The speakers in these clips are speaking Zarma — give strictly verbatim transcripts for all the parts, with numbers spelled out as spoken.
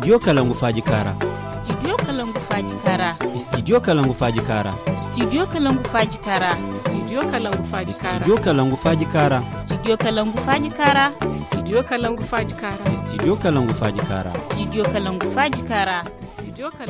Studio kalangu faaji kaara. Studio kalangu faaji kaara. Studio kalangu faaji kaara. Studio kalangu faaji kaara. Studio kalangu faaji kaara. Studio kalangu faaji kaara. Studio kalangu faaji kaara. Studio kalangu faaji kaara. Studio kalangu faaji kaara. Studio kalangu faaji kaara. Studio kalangu faaji kaara.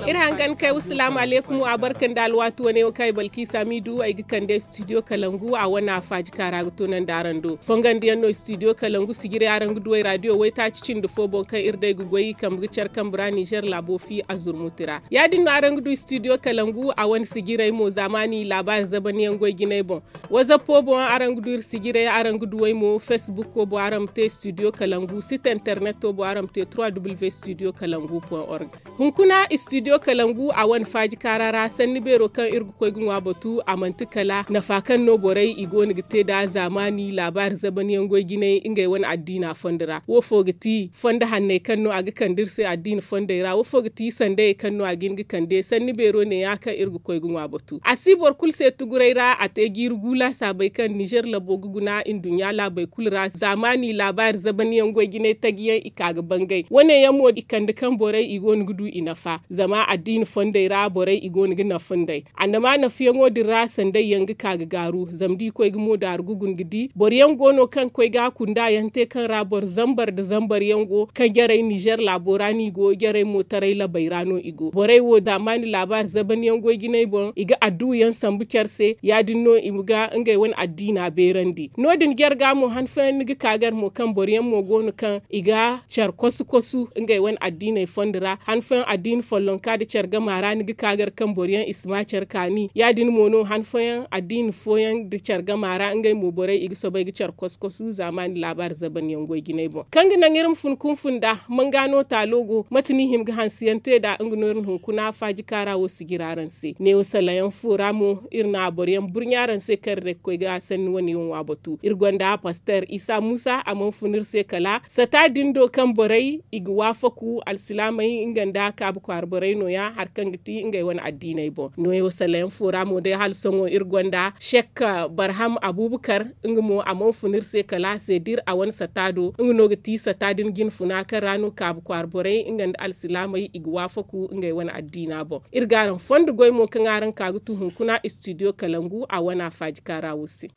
Iri hangan kay wasalaamu aleykum, a barka nda alwaati wane wo kaŋ ay balki samidu ay ga kande studio kalangu a wane a faaji kaara ga toonandi araŋ do. Fongandiyaŋ no studio kalangu sijirey araŋ ga duwey raadiyo waytaaci cindi fo boŋ kaŋ iri day ga goy kambe ga care kambe ra nizer laabo fi a zurmuti ra. Ya- din no araŋ ga du studio kalangu a wane sijirey mo zaamaani laabaari zabaniyaŋ goy jinay boŋ. Wazappo boŋ araŋ ga du iri sijirey araŋ ga duwey mo facebook wo boŋ araŋ ma te studio kalangu site internet wo boŋ araŋ ma te trois w studio kalangu point org. Hunkuna studio kalangu a wane faaji kaara ra sanni beero kaŋ iri ga koy ga ŋwa batu a manti kala nafa kaŋ no borey i go no ga te nd'a zaamaani laabaari zabaniyaŋ goy jinay ngey wane addiina fondo ra wo fo ga ti fondo hanney kaŋ no a ga kande iri se addiina fondey ra wo fo ga ti sandayey kaŋ no a ga hin ga kande sanni beero ne- ya kaŋ iri ga koy ga ŋwa batu a si boro kulu se tuguray ra a te jiiri gu laasaabey kaŋ nizer labo ga guna nduɲɲa laabey kulu ra zaamaani laabaari zabaniyaŋ goy jinay taji yaŋ i ka ga bangay wane yaŋ mo i kande kaŋ borey i go no ga du i nafa zama addiina fondey ra borey i go no ga nafa nd'ey. Annama nafa yaŋo din ra sanday yaŋ ga ka ga gaaru zama da i koy ga mo daaru ga guna ga di boro yaŋ go no kaŋ ga koy ga kunda yaŋ te kaŋ ra boro zambar nda zambar yaŋ go kaŋ jarey nizer laabo ra no i go jarey mo taray labey ra no i go borey wo zaamaani laabaari zabaniyaŋ goy jinay boŋ i ga adduwa yaŋ sambu care se ya- din no i ma ga ngey wane addiina beerandi no- din jarga mo han fooyaŋ ni ga ka gar mo kaŋ boro yaŋ mo go no kaŋ i ga care kosu kosu ngey wane addiiney fondo ra han fooyaŋ addiina follonka nda care gama ra ni ga ka gar kaŋ boro yaŋ i si ma care kaani ya- din mo no han fooyaŋ addiina fooyaŋ nda care gama ra ngey mo borey i ga soobay ga care kosu kosu zaamaani laabaari zabanyaŋ goy jinay boŋ kaŋ ga naŋ iri ma fun kunfun nd'a manga no taalo go mate no i hima ga hanse yaŋ te nd'a nga no iri na hunkuna faaji kaara wo sijira araŋ se neewo salayaŋ fo ra mo iri na boro yaŋ burɲa araŋ se kaŋ iri day ga koy ga sanni wane yaŋ ŋwa batu iri gonda paster isa muusa a mana fun iri se kala sata din do kaŋ borey i ga waafaku alsilaamey nga nda kaabu kwaara borey no- ya hari kaŋ ga ti ngey wane addiiney boŋ neewo salayaŋ fo ra mo day hala sohõ iri gonda sek barham abuubakar nga mo a mana fun iri se kala se da iri a wane sata do nga no ga ti sata din jinfuna kaŋ ra no kaabu kwaara borey nga nda alsilaamey i ga waafaku ngey wane addiina boŋ iri ga araŋ fondo goy mo kaŋ araŋ ka ga tu hunkuna studio kalangu a wana faaji kaara wo se.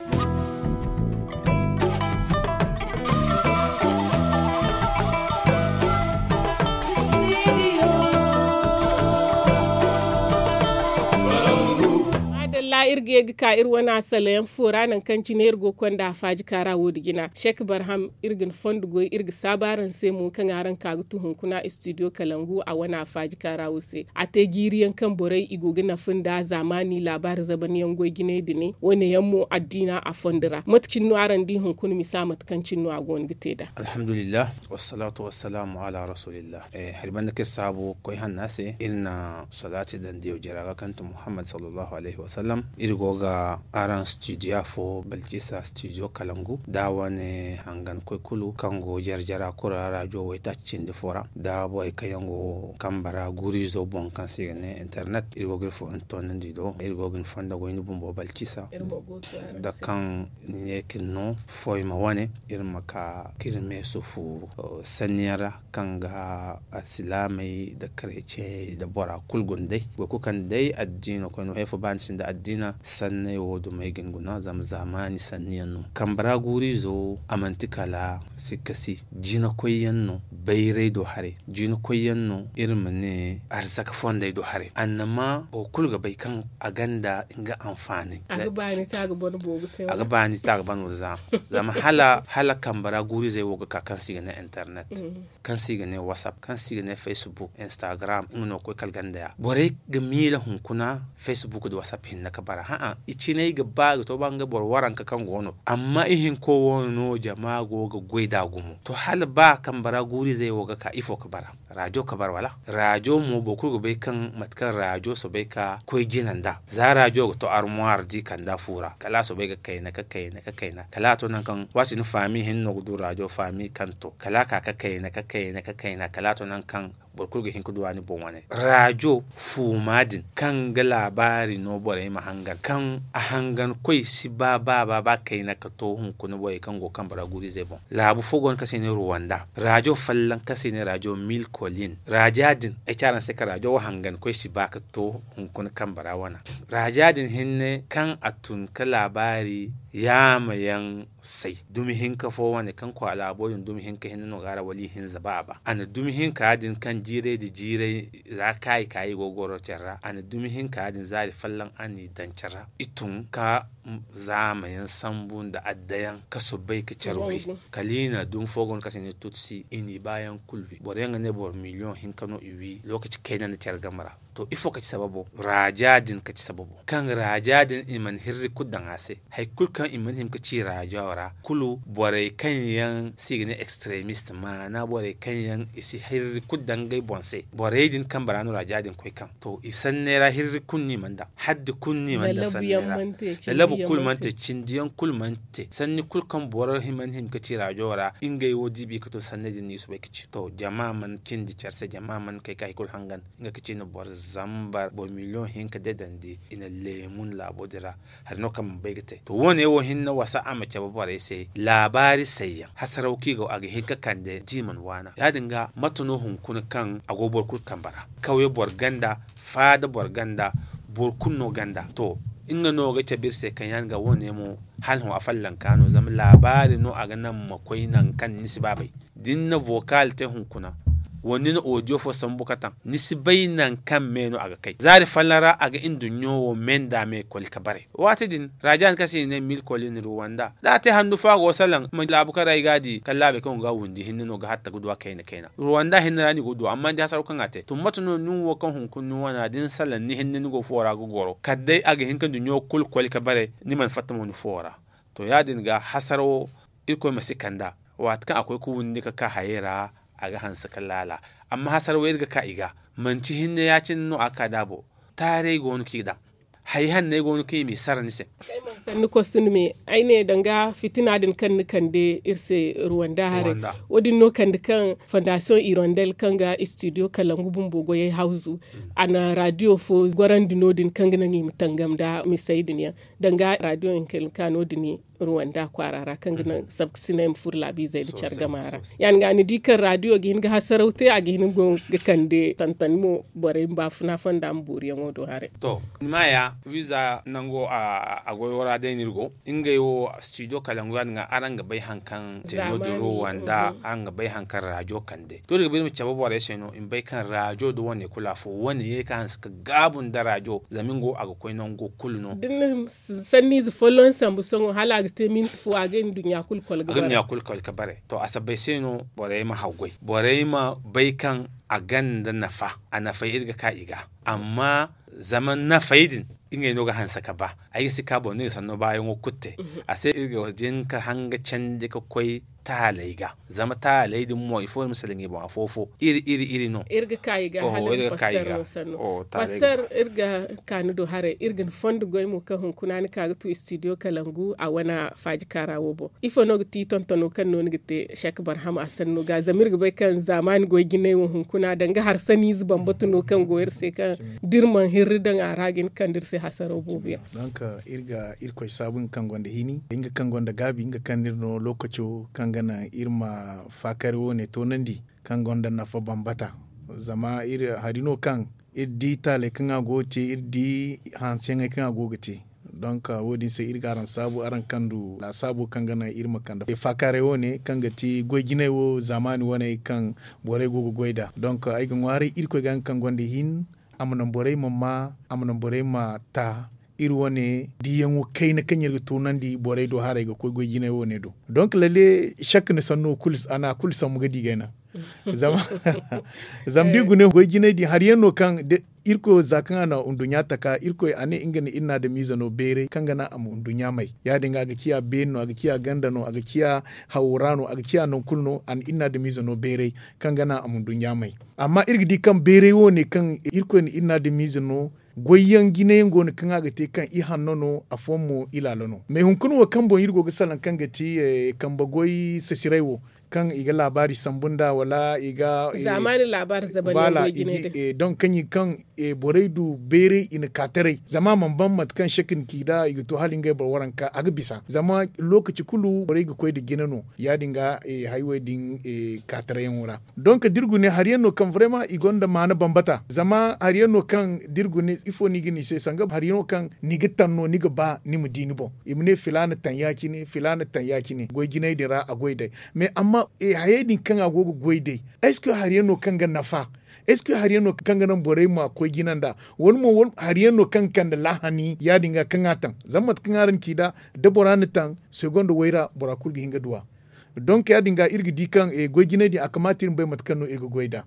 Maadalla iri ga ye ga ka iri wane asalayaŋ fo ra nangu kaŋ cine iri go ga konda a faaji kaara wo- din jina sek barham iri ga ni fondo goy iri ga saabu araŋ se mo kaŋ araŋ ka ga tu hunkuna studio kalangu a wane a faaji kaara wo se a te jiiri yaŋ kaŋ borey i go ga nafa nda zaamaani laabaari zabanyaŋ goy jinay din wane yaŋ mo addiina a fondo ra mate cine no araŋ di hunkuna misa mate kaŋ cine no a go no ga te nd'a. Alhamdulillah, wassalatu wassalaamu ala rasulillah. Hari banda kaŋ iri saabu koy hanna se iri na salaati daŋ diyaw jara ga kaŋ ti muhammad sallallahu alaihi wasallam. Iri go ga araŋ studio afo balkisa studio kalangu da wane hangan koy kulu kaŋ go jara jara kulu ra rajo waytaaci cindi fo ra da borey kaŋ yaŋ go kambe ra guuru izo boŋ kaŋ se i ga ne internet iri go ga iri fo ni toonandi do iri go ga ni fondo goy ni bumbo balkisa da kaŋ ni ne ka ni no foy ma wane iri ma ka ka iri me sufu sanniyaŋ ra kaŋ ga alsilaamey nda kareeciyey nda bora kulu guna day. Boro kulu kaŋ day addiino koyne wo hay fo ba ni sinda addiina sanney wo dumey ga ni guna zama zaamaani sanniyaŋ no kambe ra guuru izo a manti kala sikka si jiina koyyaŋ no bayray do haray jiina koyyaŋ no iri ma ne arzaka fondey do haray annama boro kulu ga bay kaŋ a gonda nga anfaanay. A ga baani te a ga ban boobo te a ga baani te a ga ban wo za zama hala hala kambe ra guuru izey wo ga ka kaŋ se i ga ne internet kaŋ se i ga ne whatsapp kaŋ se i ga ne facebook instagram nga no ga koy kala ganda ya borey ga miila hunkuna facebook nda whatsapp hinne ga bara hã'a i cinay ga ba ga to ba ngey boro waranka kaŋ go no amma ihinko wo no jama go ga goy nd'a gumo to hala ba kambe ra guuru izey wo ga ka ifo ga bara raajo ga bara wala raajo mo boro kulu ga bay kaŋ mate kaŋ raajo soobay ka koy jina nd'a za raajo ga to armuwaari di kanda fu ra kala a soobay ga kayna ga kayna ga kayna kala a to nangu kaŋ waati ni faami hinne no ga du raajo faami kaŋ to kala a ka ga kayna ga kayna ga kayna kala a to nangu kaŋ Boro kulu ga hin ga du a ni boŋ wane raajo fuuma din kaŋ ga laabaari no borey ma hangan kaŋ a hangan koy si ba ba ba ba kayna ga to hunkuna borey kaŋ go kambe ra guuru izey boŋ. Laabu fo go no kaŋ se i ne ruwanda raajo folloŋ kaŋ se i ne raajo mil kolin raaja din ay ci araŋ se kaŋ raajo wo hangan koy si ba ga to hunkuna kambe ra wana. Raaja din hinne kaŋ a tun ga laabaari yaama yaŋ say dumi hinka fo wane kaŋ kwaara laabo din dumi hinka hinne no ga a ra wala i hinza ba a ba a na dumi hinka din kaŋ jiiray nda jiiray za kaayi kaayi go ga goro care ra a na dumi hinka din zaari folloŋ a n'i daŋ care ra i tun ga zaama yaŋ sambu nda adda yaŋ ga soobay ga care wi. Kala i na dumi fo go no kaŋ se i ne tutsi i n'i baayaŋ kulu wi boro yaŋ ga ne boro miliyoŋ hinka no i wi lookaci kayna nda care game ra. To ifo ka ci sababo raaja din ka ci sababo kaŋ raaja din i mana hirri kulu daŋ a se. Hari kulu kaŋ i mana hima ga ci raajo ra kulu borey kaŋ yaŋ se i ga ne extremist maana borey kaŋ yaŋ i si hirri kulu daŋ ngey boŋ se borey din kambe ra no raaja din koy kaŋ to i sanney ra hirri kulu no i mana daŋ haddi kulu no i mana daŋ sanney ra. Lalabu kulu mana te cindi yaŋ kulu mana te sanni kulu kaŋ boro mana hima ga ci raajo ra ngey wo diibi ga to sanney din no i soobay ga ci to jama mana cindi care se jama mana kay ga hari kulu hangan. Nga ga ci no boro zambar boro miliyoŋ hinka deedandi i na leemun laabo din ra. Hari no kaŋ mana bay ga te to wo- ne wo hinne wasa a ma cabe borey se laabaari sayyaŋ hasaraw kaŋ i go a ga hin ga kande da i mana waana ya- din ga mate no hunkuna kaŋ a go boro kulu kambe ra kawye boro ganda faada boro ganda boro kulu no ganda to nga no ga cabe iri se kaŋ ya- din ga wo- ne mo hala hõ a follanka no zama laabaari no a ga naŋ ma koy nangu kaŋ ni si ba bay. Da ni na vocal te hunkuna wala ni na audio fo sambu ga taŋ ni si bay nangu kaŋ me no a ga kay zaari folloŋ ra a ga nduɲɲo wo me nda me koli ga bare. Waati din raaja din kaŋ se i ne mil koli ni ruwanda da a te handu fo a go ga salaŋ ma laabu kaŋ ra i ga a di kala laabey kaŋ go ga a windi hinne no ga hatta ga du a kayna kayna ruwanda hinne ra no i go ga du amma ni di hasaraw kaŋ a te to mate no nin wo kaŋ hunkuna ni wana da ni salaŋ ni hinne ni go fuwo ra ga goro kala day a ga hin ga nduɲɲo kulu koli ga bare ni mana fatta mo ni fuwo ra. To ya- din ga hasarawo irkoy ma si kand'a waati kaŋ a koy ga windi ga ka hayey ra a ga hanse ga laala. Amma hasara wo iri ga ka i ga manci hinne ya- cine no a ga ka da a bo taaray go no kaŋ i daŋ hari hanney go no kaŋ i m'i sara ni se. Sanni kostum me ay ne danga fitina din kaŋ ni kande iri se ruwanda haray wo- din no kande kaŋ fondasiyoŋ irondel kaŋ ga istidiyo kalangu bumbo goyey hawzu a na radiyo fo gorandi no- din kaŋ ga naŋ i ma tangam nda misey din yaŋ danga radiyo hinka no- din ruwanda kwaara ra kaŋ ga naŋ sabkasinay ma furo laabiizey nda care gama ra. Ya- din ga ni di kaŋ radiyo ga hin ga hasaraw te a ga hin ga kande tantani mo borey ma baafuna fonda ma booriyaŋo do haray. To ni ma ya wiiza nango a goyo ra day no iri go ngey wo studio kalangu ya- din ga araŋ ga bay hari kaŋ te no- din ruwanda araŋ ga bay hari kaŋ radiyo kande to iri ga ba iri ma cabe borey se no i ma bay kaŋ radiyo nda wane kulu afo wane ye ga hanse ga gaabu nda radiyo zama nga wo a ga koy nango kulu no. Sanniize folloŋ sambu sohõ hala a ga te minti fo a ga nduɲɲa kulu kol ga bare. To a sabbay se no borey ma haggoy borey ma bay kaŋ a ganda nafa a nafay iri ga ka i ga amma zama nafay din ngey no ga hanse ga ba ay ga si ka boro no i sanno baayaŋo kulu te. A se iri ga jin ga hanga candi ga koy taaley ga zama taaley din mo ifo iri ma salaŋ i boŋ afo fo iri iri iri no. Iri ga ka i ga hala iri ga ka i ga. Pastor iri ga ka ni do haray iri ga ni fondo goy mo kaŋ hunkuna ni ka ga tu studio kalangu a wane faaji kaara wo boŋ ifo no ga ti tontono kaŋ no ni ga te sek barham a sanno ga zama iri ga bay kaŋ zaamaani goy jinay wo hunkuna danga harsaniize bambata no kaŋ go iri se kaŋ da iri mana hirri daŋ a ra ga hin ga kande iri se hasaraw boobo yaŋ. Donk iri ga irkoy saabu nga kaŋ gonda hini nga kaŋ gonda gaabi nga kaŋ no iri no lookaco kaŋ ga naŋ iri ma faakari wo- ne toonandi kaŋ gonda nafa bambata. Zama iri hari no kaŋ iri di taaley kaŋ a go ga te iri di hanseyaŋey kaŋ a go ga te. Donk wo- din se iri ga araŋ saabu araŋ kandu laasaabo kaŋ ga naŋ iri ma kande faakaaray wo- ne kaŋ ga ti goy jinay wo zaamaani wane kaŋ borey go ga goy nd'a donk ay ga ŋwaaray irkoy ga nga kaŋ gonda hin a ma naŋ borey ma maa a ma naŋ borey ma ta iri wane diiyaŋo kayna kaŋ iri ga toonandi borey do haray ga koy goy jinay wo- ne do. Donk lalle sakka ni sanno a na kulu sambu ga di gayna. Zama da i guna goy jinay din hari yaŋ no kaŋ irkoy wo za kaŋ a na nduɲɲa taka irkoy a ne nga na iri na adamiize no beeray kaŋ ga naŋ a ma nduɲɲa may ya- din ga a ga ciya beeri no a ga ciya ganda no a ga ciya hawra no a ga ciya nangu kulu no a na iri na adamiize no beeray kaŋ ga naŋ a ma nduɲɲa may. Amma iri ga di kaŋ beeray wo- ne kaŋ irkoy na iri na adamiize no goy yaŋ jina yaŋ go no kaŋ a ga te kaŋ ihanno no afooyaŋ mo ilaalo no mais hunkuna wo kaŋ boŋ iri go ga salaŋ kaŋ ga ti kambe goy sasiray wo. kaŋ i ga laabaari sambu nd'a wala i ga zamani laabaari zaban yaŋ goy jinay din. Donk kaŋ i ga kaŋ borey du bayray i na ka taray zama a mana ban mate kaŋ sek na ci nd'a i ga to hala ngey boro waranka a ga bisa zama lookaci kulu borey ga koy nda jina no ya- din ga haywey din ka tarayyaŋo ra. Donk da iri gune hari yaŋ no kaŋ barema i gonda maana bambata zama hari yaŋ no kaŋ da iri gune ifo no i ga ne i se sanga hari yaŋ no kaŋ ni ga taŋ no ni ga ba ni ma di ni boŋ i ma ne filaana taŋ ya- cine filaana taŋ ya- cine goy jinay din ra a goy day. Mais amma hayey din kaŋ a go ga goy day est ce que hari yaŋ no kaŋ ga nafa? Est ce que hari yaŋ no kaŋ ga naŋ borey ma koy jina nd'a wala mo hari yaŋ no kaŋ ga kande laahani ya- din ga kaŋ a taŋ zama mate kaŋ araŋ ci nd'a da bora na taŋ segonda wayra bora kulu ga hin ga du a. Donk ya- din ga iri ga di kaŋ goy jinay din a kamaata iri ma bay mate kaŋ no iri ga goy nd'a.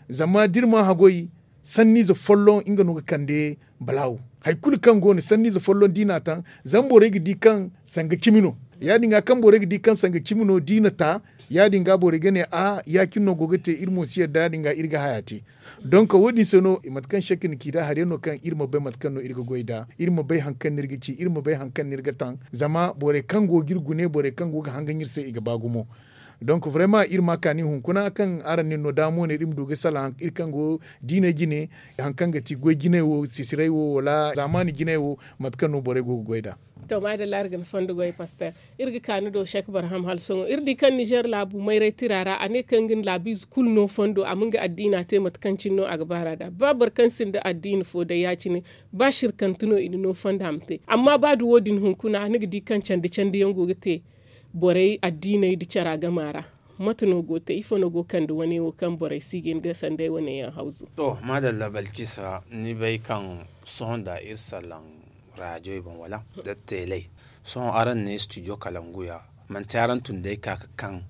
Zama da iri ma haggoy sanniize folloŋ nga no ga kande balaawo. Hari kulu kaŋ go no sanniize folloŋ da i n'a taŋ zama borey ga di kaŋ sanga cimi no. Ya- din ga kaŋ borey ga di kaŋ sanga cimi no da i na ta ya- din ga borey ga ne a ya- cine no go ga te iri mo si yadda ya- din ga iri ga haya te. Donk wo- din se no mate kaŋ sek na ci nd'a hari yaŋ no kaŋ iri ma bay mate kaŋ no iri ga goy nd'a iri ma bay hari kaŋ no iri ga ci iri ma bay hari kaŋ no iri ga taŋ zama borey kaŋ go ga iri gune borey kaŋ go ga hangan iri se i ga ba gumo. Donk barema iri ma a kaani hunkuna kaŋ araŋ na iri no daamo ne iri ma du ga salaŋ iri kaŋ go diiney jine hari kaŋ ga ti goy jinay wo sisiray wo wala zaamaani jinay wo mate kaŋ no borey go ga goy nd'a. To maadalla iri ga ni fondo goy paster. Iri ga ka ni do sek barham hala sohõ iri di kaŋ nizer laabu mayray tira ra a ne kaŋ ga ni laabiize kulu no fondo a ma nga addiina te mate kaŋ cine no a ga baar'a nd'a ba boro kaŋ sinda addiina fo day ya- cine ba sirkante no i na no fondo a ma te amma ba da wo- din hunkuna ni ga di kaŋ candi candi yaŋ go ga te borey addiiney nda cara gama ra. Mate no go ga te ifo no go ga kande wane wo kaŋ borey si ga hin ga sanday wane yaŋ hawzu? To maadalla balkisa ni bay kaŋ sohõ nda iri salaŋ raajoy boŋ wala nda teeley. Sohõ araŋ ne studio kalangu ya manti araŋ tun day ka ga kaŋ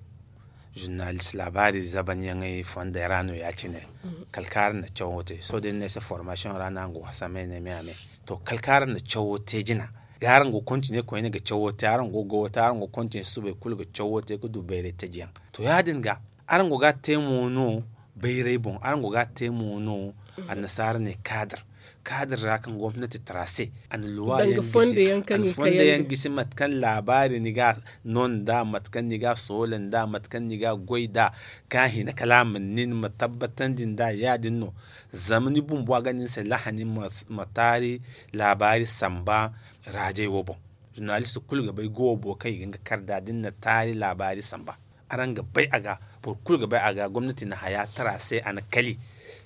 zurnalist laabaari zaban yaŋey fondey ra no ya- cine. Kala kaŋ araŋ na cawo te sohõ da ni ne ay se formasiyoŋ ra no araŋ go ga hasamay ne me a me. To kala kaŋ araŋ na cawo te jina ga araŋ go ga kontine koyne ga cawo te araŋ go ga goyo te araŋ go ga kontine subay kulu ga cawo te ga du bayray taji yaŋ. To ya- din ga araŋ go ga a te mo no bayray boŋ araŋ go ga a te mo no annasaara ne kaadar kaadar ra kaŋ gomnati tara se a na luwa yaŋ gisi mate kaŋ laabaari ni ga no nd'a mate kaŋ ni ga a soola nd'a mate kaŋ ni ga a goy nd'a ka hina kala a ma nin ma tabbatandi nd'a ya- din no. Zama ni bumbo a ga ne ni se lahani ma taari laabaari samba raajey wo boŋ. Zurnalist kulu ga bay goobo kaŋ i ga nga kar nd'a da ni na taari laabaari samba araŋ ga bay a ga boro kulu ga bay a ga gomnati na haya tara se a na kali.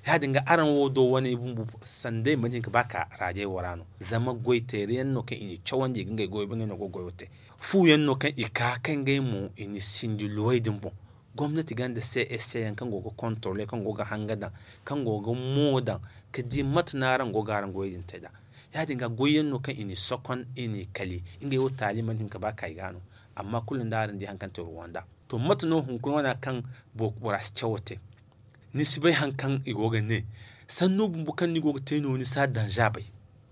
Ya- din ga araŋ wo do wane bumbo sanday mana hin ga ba ka raajey wo ra no zama goy teeri yaŋ no kaŋ i na cawandi i ga ngey goyo ba ngey no go ga goyo te. Fu yaŋ no kaŋ i ka kaŋ ngey mo i na sinji luwey din boŋ gomnati gonda se ese yaŋ kaŋ go ga kontorole kaŋ go ga hanga daŋ kaŋ go ga mo daŋ ka di mate no araŋ go ga araŋ goyey din te nd'a. Ya- din ga goy yaŋ no kaŋ i n'i sokon i n'i kali ngey wo taali mana hin ga ba ka i ga no. Amma kulu nda araŋ di hari kaŋ te ruwanda to mate no hunkuna wane kaŋ bora si cawo te? Ni si bay hari kaŋ i go ga ne sanno bumbo kaŋ ni go ga te no ni si a danza bay.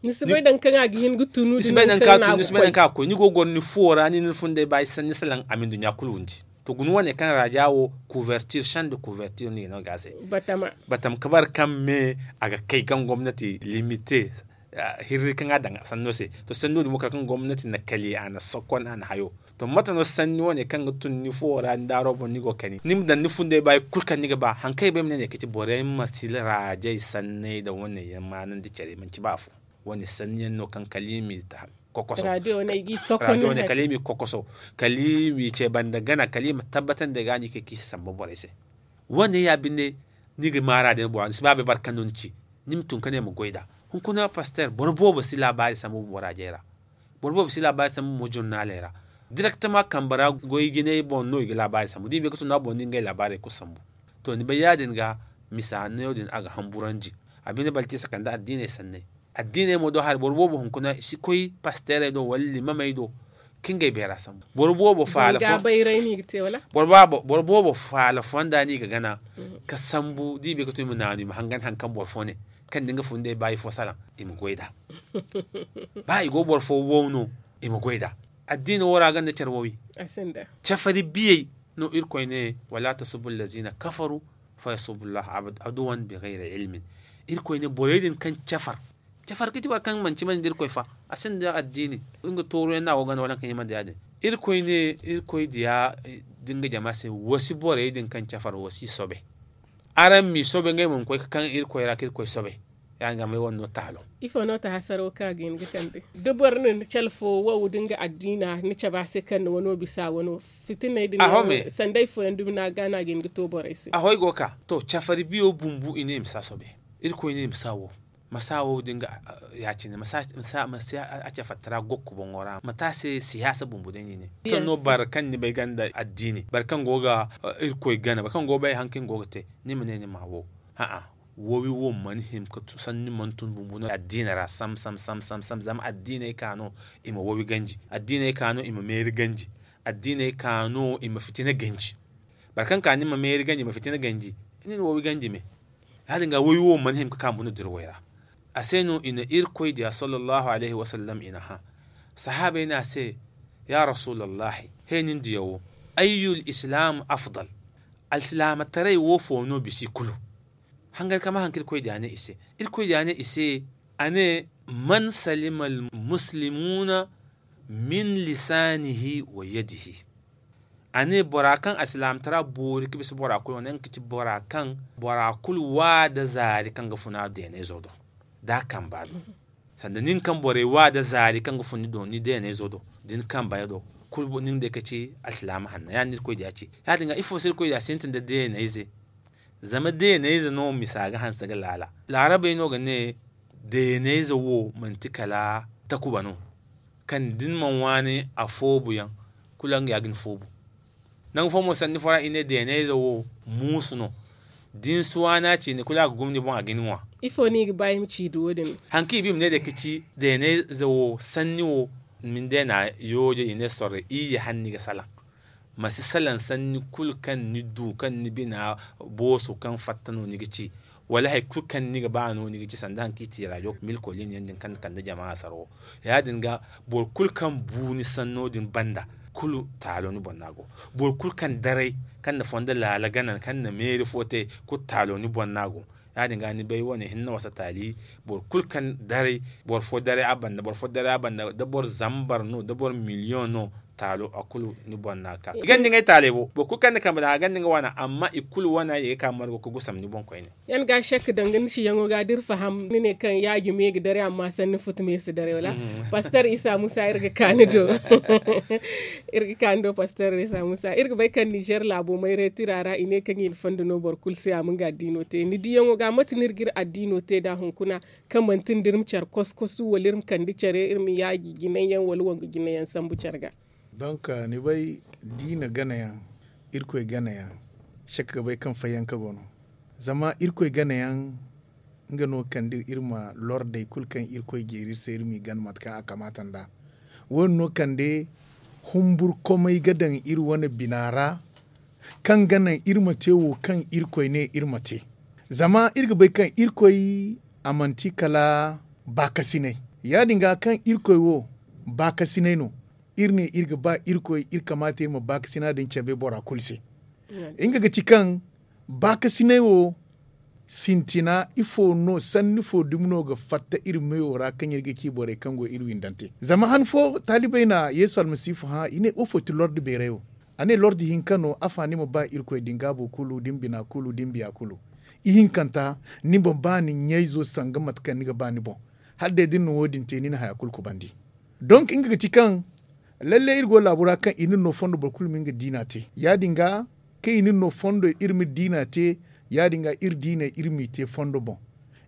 Ni si bay nangu kaŋ a ga hin ga tunu ni si bay nangu kaŋ a ga koy ni go ga goro ni fuwo ra ni na ni fundey ba ay sanni salaŋ a ma ni duɲɲa kulu windi. To guna wane kaŋ raja wo kuvertir sanda kuvertir no i ga no ga a se. Batama kabar kaŋ me a ga kay kaŋ gomnati limite hirri kaŋ a daŋ sanno se. To sanno din mo kala kaŋ gomnati na kali a na sokon a na hayo. To mate no sanni wane kaŋ ga tun ni fuwo ra ni daaro boŋ ni go ga kani ni ma daŋ ni fundey ba hari kulu kaŋ ni ga ba hari kaŋ ay bay ma ne ne ga ci borey ma si rajey sanney nda wane yaŋ maanandi care manci ba afo. Wane sanni yaŋ no kaŋ kala i m'i ta kokoso. Radiyo wane kala i m'i kokoso kala i m'i ce banda gana kala i ma tabbatandi ay ga no i ga ay kaŋ i si samba borey se. Wane ya binde ni ga maara day bora ni si ba bay boro kaŋ no ni ci. Ni ma tun ka ne ma goy nd'a. Hunkuna paster boro boobo si laabaari sambu bora jey ra. Boro boobo si laabaari sambu mo jurnaaley ra. Direktama kambe ra goy jinay boŋ no i ga laabaari sambu da i bay ga tun no a boŋ no i ga ngey laabaarey kulu sambu. To ni bay ya- din ga misa neewo din a ga hamburandi. A binde balkisa kande addiiney sanney. Addiiney mo do hari boro boobo hunkuna i si koy pasteerey do wala limamey do ka ngey beera sambu. Boro boobo faala fo boro boobo faala fonda no i ga gana ka sambu da i bay ga tun i ma naanu i ma hangan hari kaŋ boro fo ne kaŋ da nga fundey ba ifo salaŋ i ma goy nd'a. Ba i go boro fo wow no i ma goy nd'a. Addiina wo ra a gonda care wowi. Cafari biyey no irkoy ne wala tasubu allazina kafaru fa yasubu allah aduwan bi gayri ilmin. Irkoy ne borey din kaŋ cafar cafar ga ci boro kaŋ manci mane nda irkoy fa a sinda addiini. Nga tooru yaŋ no a go ganda wala kaŋ hima nda ya- din. Irkoy ne irkoy diya Nga jama se, wa si borey din kaŋ cafar, wa si soobay. Araŋ m'i soobay ngey ma ma koy ga kaŋ irkoy ra ka irkoy soobay. Ya- din ga may wane no taalo. Ifo no ta hasaro kaŋ a ga hin ga kande? Da boro na ni calfo wow da nga addiina ni cabe a se kaŋ ni wano bisa wano, fitiney din no sanda ifo yaŋ dumi no a ga no a ga hin ga to borey se. Ahoy go ka to cafari biyo bumbu i ne i ma si a soobay. Irkoy ne i ma si a wo. Ma si a wo da nga ya- cine ma si a cafattara gokko boŋo ra ma te a se siyaasa bumbu day no i ne. Kaŋ no boro kaŋ ni bay ganda addiini boro kaŋ go ga irkoy gana boro kaŋ go ga bay hari kaŋ ni go ga te, ni ma ne ni ma a wo. A'a, wowi wo mana hin ga sanni mana tun bumbu no addiina ra sam sam sam sam sam zama addiiney ka no i ma wowi ganji. Addiiney ka no i ma meeri ganji. Addiiney ka no i ma fitina ganji. Boro kaŋ ka ni ma meeri ganji ma fitina ganji, ni na wowi ganji me. Ya- din ga wowi wo mana hin ga ka bumbu no dirwey ra. A se no i na irkoy diya sallallahu alayhi wasallam i na hã. Sahaabey ne a se, ya rasuulallahi, he nin diya wo, ayyul islaam afdal? Alsilaamataray wo fo no bisa i kulu? Hangan ka ma haŋ kaŋ irkoy diya ne i se. Irkoy diya ne i se, a ne, man salima almuslimuuna min lisaanihi wa yadihi. A ne bora kaŋ alsilaamataray boori ga bisa bora kulu wane nga ga ci bora kaŋ bora kulu wa nda zaari kaŋ ga funa deenayzo do, da a kamba do. Sanda nin kaŋ borey wa nda zaari kaŋ ga fun ni do ni deenayzo do, da ni kamba do, kulu nin day ga ci alsilaama hanna ya- din no irkoy diya ci. Ya- din ga ifo se irkoy diya sintin nda deenayze? Zama deenayze no misa ga hanse ga laala. Laarabey no ga ne, deenayze wo manti kala takuba no, kaŋ da ni mana waani a foobu yaŋ, kulu nga ya ga ni foobu. Nangu fo mo sanni fo ra i ne deenayze wo muusu no. Da ni si waani a ciine kulu a ga gum ni boŋ a ga ni ŋwa. Ifo no i ga ba i ma ci da wo- din? Hari kaŋ i ba i ma ne day ga ci deenayze wo sanni wo, ma ni deena yooje i ne sorro iyye hala ni ga salaŋ. Ma si salaŋ sanni kulu kaŋ ni du kaŋ ni bina booso kaŋ fatta no ni ga ci, wala hari kulu kaŋ ni ga ba no ni ga ci sanda hari kaŋ i ti raajo milkolin yaŋ din kaŋ na kande jama a sara wo. Ya- din ga, boro kulu kaŋ bu ni sanno din banda, kulu taalo ni boŋ no a go. Boro kulu kaŋ daray, kaŋ na fondo laala gana kaŋ na meeri fo te, kulu taalo ni boŋ no a go. Ya- din ga ni bay wane hinne wasa taali, boro kulu kaŋ daray, boro fo daray a banda boro fo daray a banda da boro zambar no da boro miliyoŋ no, taalo a kulu ni boŋ no a ga ka i ganda ngey taaley bo boro kulu kaŋ na kambe daŋ a ganda nga wana amma i kulu wana i ga ka margo ga gusam ni boŋ koyne. Yan ga shek danga ni siyaŋo ga da iri faham ni ne kaŋ yaaji me ga daray amma sanni futu me si daray wala? Pastor isa musa iri ga ka ni do. Iri ga ka ni do pastor isa musa iri ga bay kaŋ nizer laabo mayray tira ra i ne kaŋ i na fondo no boro kulu se a ma nga addiino te ni diyaŋo ga mate no iri ga iri addiino te nd'a hunkuna, kaŋ manti nda iri ma care kosu kosu wala iri ma kande care iri ma yaaji jinay yaŋ wala wongu jinay yaŋ sambu care ga? Donk ni bay diina gana yaŋ, irkoy gana yaŋ, shek ga bay kaŋ fayyanka go no. Zama irkoy gana yaŋ, nga no ga kande iri ma lordey kulu kaŋ irkoy jeeri iri se iri m'i gana mate kaŋ a kamaata nd'a. Wo- din no ga kande humburkomey ga daŋ iri wane bina ra, kaŋ ga naŋ iri ma te wo kaŋ irkoy ne iri ma te. Zama iri ga bay kaŋ irkoy a manti kala baakasinay. Ya- din ga kaŋ irkoy wo baakasinay no, iri ne iri ga ba irkoy iri kamaata iri ma baakasina din cabe bora kulu se. Nga ga ti kaŋ baakasinay wo sintina ifo no sanni fo dumi no ga fatta iri meyo ra kaŋ iri ga ci borey kaŋ go iri windante zama han fo taalibey na yeesu almasiifu hã i ne woofo ti lordi beeray wo? A ne lordi hinka no afa ni ma ba irkoy da ni gaabo kulu da ni bina kulu da ni biya kulu. Ihinkanta, ni ma ba ni ɲayzo sanga mate kaŋ ni ga ba ni boŋ. Hala day da ni na wo- din te ni na haya kulu kubandi. Donk nga ga ti kaŋ lalle iri go laabu ra kaŋ i na ni no fondo boro kulu ma nga diina te ya- din ga, kaŋ i na ni no fondo iri ma diina te, ya- din ga iri diiney iri m'i te fondo boŋ.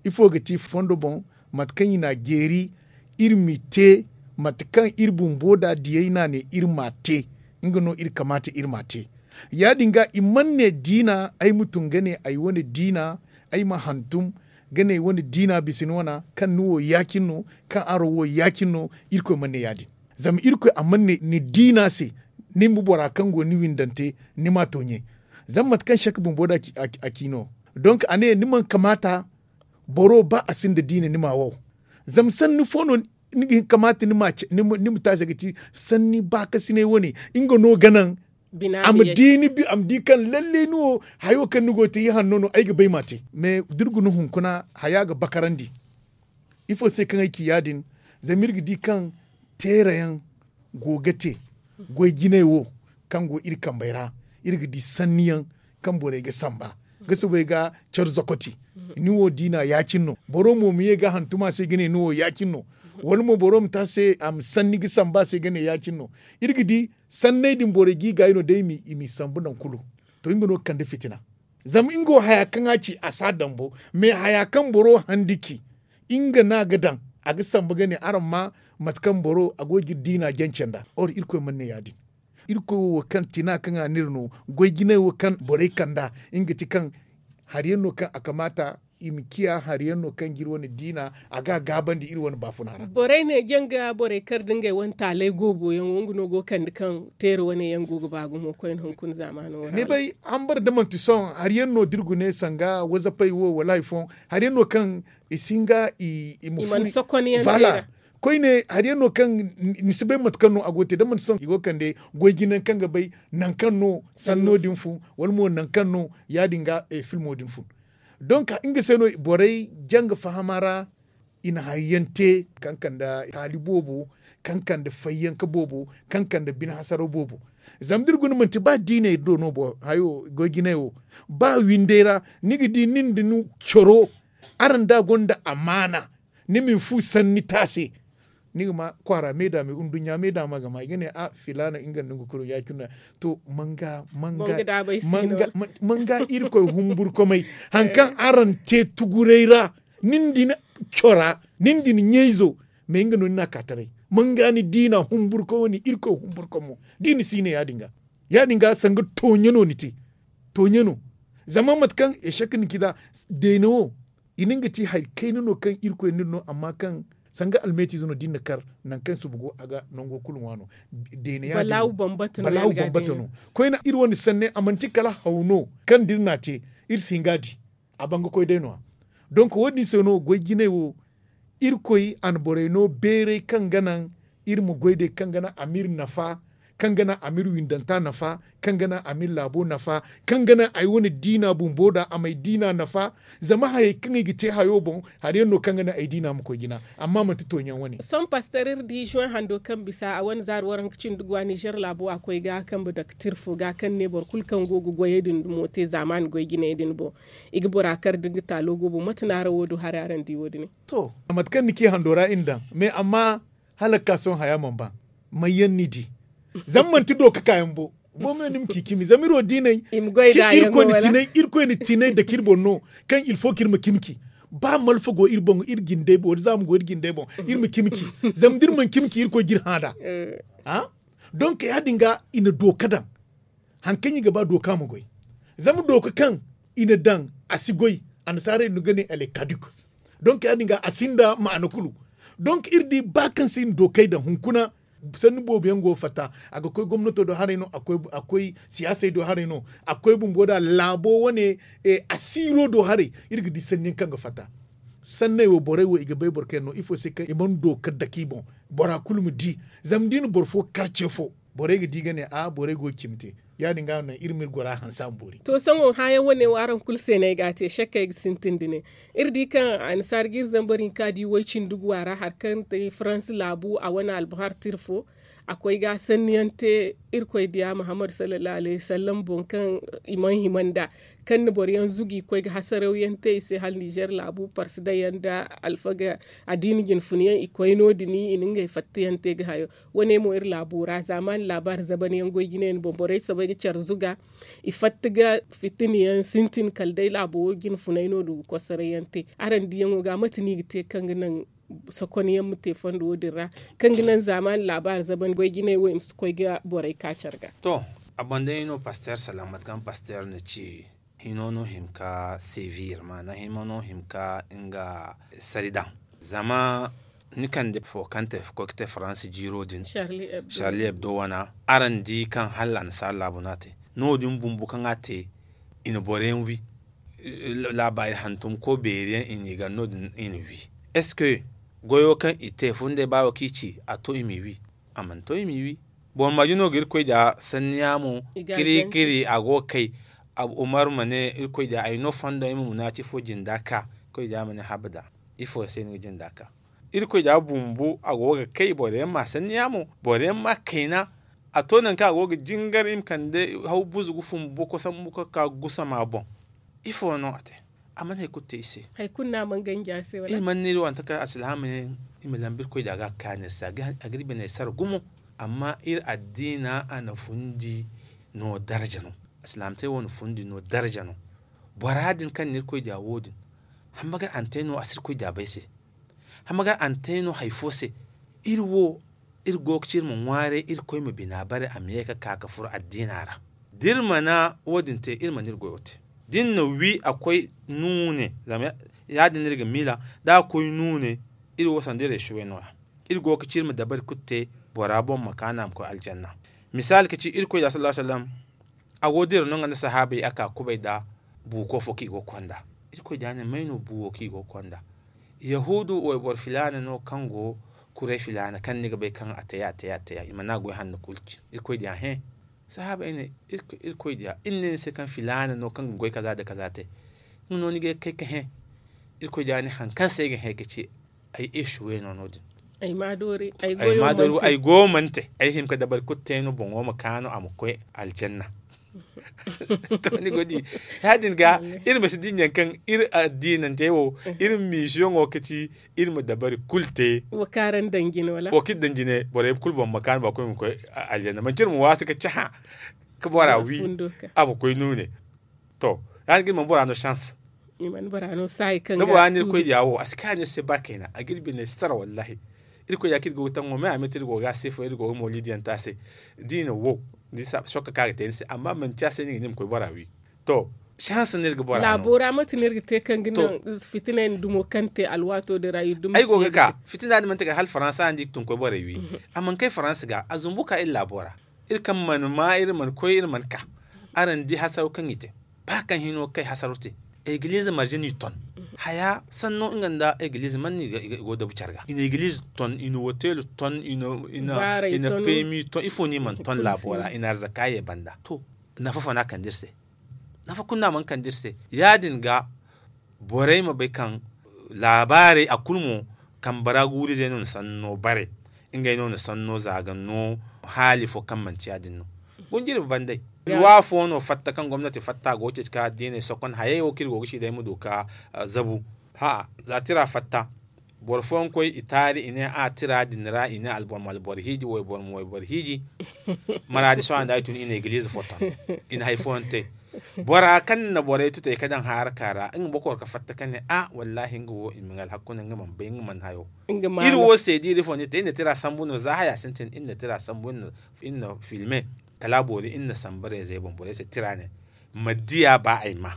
Ifo ga ti fondo boŋ? Mate kaŋ i n'a jeeri iri m'i te, mate kaŋ iri bumbo nd'a diyey n'a ne iri m'a te, nga no iri kamaata iri m'a te. Ya- din ga i mana ne diina ay ma tun ga ne ay wane diina, ay ma hantum ga ne ay wane diina bisa ni wana kaŋ ni wo ya- cine no, kaŋ araŋ wo ya- cine no. Irkoy mana ne ya- din. Zama irkoy a mana ne ni diina se, ni ma bora kaŋ go ni windante, ni m'a to ɲe. Zama mate kaŋ sek bumbo nd'a ci no. Donk a ne ni mana kamaata boro ba a sinda diina ni m'a wow. Zama sanni fo no ni ga hin kamaata ni ma taasi ga ti sanni baakasinay wane, nga no ga naŋ a ma di kaŋ lalle ni wo hayo kaŋ ni go ga te ihanno no ay ga bay m'a te. Mais da iri guna hunkuna haya ga bakarandi. Ifo se kaŋ ay ci ya- din? Zama iri ga di kaŋ teerayaŋ go ga te goy jinay wo kaŋ go iri kambey ra. Iri ga di sanni yaŋ kaŋ borey ga samba ga soobay ga care zokoti. Ni wo diina ya- cine no. Boro mo ma ye ga hantum a se ga ne ni wo ya- cine no. Wala mo boro ma te a se a ma sanni ga samba a se ga ne ya- cine no. Iri ga di sanney din borey g'i gaayi no day i m'i sambu nangu kulu. To nga no ga kande fitina. Zama nga wo haya kaŋ a ci a si a dambu. Mais haya kaŋ boro handi ci nga no a ga daŋ a ga sambu ga ne araŋ ma mate kaŋ boro a go ga iri diina jance nd'a or irkoy mana ne ya- din. Irkoy wo kaŋ tina kaŋ a n'iri no goy jinay wo kaŋ borey kand'a nga ti kaŋ hari yaŋ no kaŋ a kamaata i ma ciya hari yaŋ no kaŋ ga iri wane diina a ga a gaabandi iri wane baafuna ra. Borey ne janga borey kar da ngey wane taalay goobo yaŋo nga no go ga kande kaŋ teera wane yaŋ go ga ba gumo koyne hunkuna zaamaano wo ra. Ni bay hambar da manti sohõ hari yaŋ no da iri gune sanga wazapay wo wala hari fooyaŋ hari yaŋ no kaŋ i si hin ga i ma furu. Koyne hari yaŋ no kaŋ ni si bay mate kaŋ no a go ga te da manti sohõ i go ga kande goy jinayaŋ kaŋ ga bay nangu kaŋ no sanno din fun wala mo nangu kaŋ no ya- din ga filmo din fun. Donk nga se no borey janga fahama ra i na hari yaŋ te kaŋ kande taali boobo kaŋ kande fayyanka boobo kaŋ kande bine hasaraw boobo. Zama da iri guna manti ba diiney do no bo hayo goy jinay wo ba windey ra ni ga di nin da ni coro araŋ da gonda amaana ni ma ni fu sanni te a se. Ni ga ma kwaara me da me nduɲɲa me da ma ga ma i ga ne a filaana nga nda nga kulu ya- cine no. To manga manga manga irkoy humburkomey hari kaŋ araŋ te tuguray ra nin da ni cora nin da ni ɲayzo mais nga no ni n'a ka taray. Manga ni diina humburko wane irkoy humburko mo da i na si ne ya- din ga ya- din ga sanga tooɲe no ni te. Tooɲe no zama mate kaŋ echec ni ci nd'a deene wo i na nga te hari kayna no kaŋ irkoy n'iri no amma kaŋ sanga almeetiize no da iri na kar nangu kaŋ suba go a ga nango kulu ŋwa no. Deene ya- din balaawu bambata no koyne iri wane sanney a manti kala haw no kaŋ da iri n'a te iri si hin ga a di. A ban ga koy day no- ya donk wo- din se no goy jinay wo irkoy a na borey no beeray kaŋ ga naŋ iri ma goy day kaŋ ga naŋ a m'iri nafa kaŋ ga naŋ a m'iri windanta nafa kaŋ ga naŋ a m'iri laabo nafa kaŋ ga naŋ ay wane diina bumbo nd'a a m'ay diina nafa. Zama hayey kaŋ i ga te hayo boŋ hari yaŋ no kaŋ ga naŋ ay diina ma koy jina amma manti tooɲaŋ wane. Sohõ paster iri di juwen hando kaŋ bisa a wane zaari waranka cindi guwa nizer laabo a koy ga kambe daktir fo ga kaŋ ne boro kulu kaŋ go ga goyey din dumo te zaamaani goy jinay din boŋ i ga bora kar da nga taalo go boŋ mate no araŋ wo du haray araŋ di wo- din. To mate kaŋ ni ci hando ra iri daŋ mais amma hala ga ka sohõ haya mana ba. May yaŋ ni di zama manti do ga ka yaŋ bo. Bo me ni ma ci cimi zama iri wo diinay irkoy na tinay dake iri boŋ no kaŋ ilfo kaŋ iri ma cimi ci ba malfa go iri boŋ iri jindey boŋ wala zaama go iri jindey boŋ iri ma cimi ci. Zama da iri mana cimi ci irkoy ga iri hã nd'a. Donk ya- din ga i na dooka daŋ hari kaŋ i ga ba dooka ma goy. Zama dooka kaŋ i na daŋ a si goy annasaarey no ga ne ale kaduk. Donk ya- din ga a sinda maana kulu. Donk iri di ba kaŋ se i na dookey daŋ hunkuna sanni boobo yaŋ go ga fatta a ga koy gomnato do haray no a koy siyaasey do haray no a koy bumbo nd'a laabo wane asiiro do haray. Iri ga di sanni yaŋ kaŋ ga fatta sanney wo borey wo i ga bay boro kaŋ yaŋ no ifo se kaŋ i mana dooka dake i boŋ. Bora kulu ma di zama da i na boro fo kar ce fo borey ga di ga ne a borey go ga cimi te. Ya- din ga no iri ma iri gora hanse a ma boori. To sohõ hãayaŋ wane wo araŋ kulu se no ay ga a te sakkey ga sintin da ne iri di kaŋ annasaara ga iri zambar hinka di way-cindi guwa ra hari kaŋ te faransi laabu a wane albahar tira fo a koy ga sanni yaŋ te. Irkoy diya muhammad sallallahu alayhi wasallam boŋ kaŋ i mana hima nd'a kaŋ na boro yaŋ zugu i koy ga hasaraw yaŋ te i se hala nizer laabu parsi daŋ yaŋ nda alfaga addiini jinfuna yaŋ i koy no- din i na ngey fatta yaŋ te ga hayo. Wane mo iri laabo ra zaamaani laabaari zaban yaŋ goy jine yaŋ boŋ borey soobay ga care zuga i fatta ga fitina yaŋ sintin kala day laabo wo jinfunay no du ga kosoray yaŋ te. Araŋ diyaŋo ga mate no i ga te kaŋ ga naŋ sokon yaŋ ma te fondo wo- din ra kaŋ ga naŋ zaamaani laabaari zaban goy jinay wo i ma si koy ga borey ka care ga. To a boŋ day no paster salaŋ mate kaŋ paster na ci hino no hima ka sevir maana hino no hima ka nga sari daŋ. Zama ni kande fo kaŋ te koy ga te faransi jiiro din charlie hebdo wana araŋ di kaŋ hala annasaara laabu no a te. No- din bumbo kaŋ a te i na boro yaŋ wi laabaari hantum ko beeri yaŋ i n'i gar no- din i na wi est ce que goyo kaŋ i te fo nda ay baawo kaŋ i ci a to i m'i wi. A mana to i m'i wi. Boro marje no ga irkoy da sanni yaamo kiri kiri a go ga kay. Umar ma ne irkoy da ay no fondo ay ma munaaci fo jinda ka irkoy da ma ne habada. Ifo se ni ga jinda ka irkoy da bumbo a go ga kay boro yaŋ ma sanni yaamo boro yaŋ ma kayna. A to nangu kaŋ a go ga jingar i ma kande haw buzu ga fun boko sambu ga ka gusama boŋ. Ifo no a te? A mana hari kulu te i se. Hari kulu no a mana ganji a se wala? Iri mana ne iri wante kaŋ alsilaama ne i ma lambu irkoy da a ga a kaanu iri se a ga iri biney sara gumo. Amma iri addiina a na fundi no darja no. Alsilaamataray wo na fundi no darja no. Bora din kaŋ na irkoy da wo- din, hambagar a na te no a si irkoy da bay se. Hambagar a na te no hari fo se. Iri wo iri go ga ci iri ma ŋwaaray irkoy ma bina bare a ma ye ga ka ga furo addiina ra. Da iri mana wo- din te iri mana iri goyo te. Da iri na wi a koy nuune zama ya- din no iri ga miila. Da a koy nuune iri wo sanda iri esuwe no- ya. Iri go ga ci iri ma dabari kulu te bora boŋ ma kaanu a ma koy aljanna. Misaali ga ci irkoy da sallallahu alaihi wasallam. A go dira no nga nda sahaabey a ka kubay nda buuko fo kaŋ i go ga konda. Irkoy da ne may no buuwo kaŋ i go ga konda? Yahuudu wayboro filaana no kaŋ go kuray filaana kaŋ ni ga bay kaŋ a te ya a te ya a te ya i mana goy hanno kulu ci. Irkoy diya hẽ. Sahaabey ne, irkoy diya iri ne ni se kaŋ filaana no kaŋ ga goy kaza nda kaza te. Nga no ni ga ye ga kay ga hẽ? Irkoy diya ne hari kaŋ se ay ga hẽ ga ci ay esuwe no no- din. Ay ma doori ay goyo mana te ay hima ga dabari kulu te no boŋo ma kaanu a ma koy aljanna. To ni go di ya- din ga iri ma si dinya kaŋ iri addiinantey wo iri ma misiyoŋo ga ci iri ma dabari kulu te. Wo kaŋ iri daŋ jine borey kulu boŋ ma kaanu ba koy ma koy aljanna manci iri ma waasi ga cahã ga bora wi a ma koy nuune. To ya- din ga iri mana bora no chance. Da bora no saayi kaŋ ga a ga a iri koy diya wo a si kaanu iri se ba kayna a ga iri biney sara wallahi. Iri koy diya kaŋ iri go ga taŋ wo me a me te iri go ga a se fo iri go ga mawliidiyaŋ te a se. Da i na wo sokka kaŋ a ga te ni se amma manci a se no i ga ne ma koy bora wi. To chance no iri ga bora no laabo ra mate no iri ga te kaŋ ga naŋ fitinay nda dumo kaŋ te alwaato din ra iri dumi ay go ga ka fitina din mana te kala hala faransa no da i ga tun ga koy borey wi. A mana kay faransa ga a zumbu ka iri laabo ra. Iri kaŋ mana ma iri mana koy iri mana ka. Araŋ di hasaro kaŋ i te ba kaŋ hino ga kay hasaro te. Egiliize marje no i ton haya sanno nga nda egiliize mana no i go dabu care ga i na egiliize ton i na hotel ton i na pemi ton ifo no i mana ton laabo ra i na arzaka ye banda to. Nafa fo no a kande iri se? Nafa kulu no a mana kande iri se ya- din ga borey ma bay kaŋ laabaarey a kulu mo kambe ra guuru-izey no na sanno bare. Ngey no na sanno za ga no haali fo kaŋ manti ya- din no. Gunjiri ba banday. Iri wo afo no fatta kaŋ gomnati fatta a go ga ceeci ka addiney sokon hayey wo kaŋ iri go ga ci day ma du ka zabu. Za tira fatta boro fooyaŋ koy i taari i ne a tira din ra i ne alboro ma alboro hiiji wayboro ma wayboro hiiji. Maraadi sohõ nda ay tun i na egiliize fo ton i na hari fooyaŋ te. Bora kaŋ na borey tutay ga daŋ haraka ra nga bokoro ga fatta ka ne a wallahi nga wo i ma nga alhakku no nga mana bay nga mana hayo. Iri wo se da iri fo no iri te iri na tira sambu no za haya sintin iri na tira sambu iri na filme kala a boori iri na sambu reezey boŋ borey se tira ne. Ma diya ba ay ma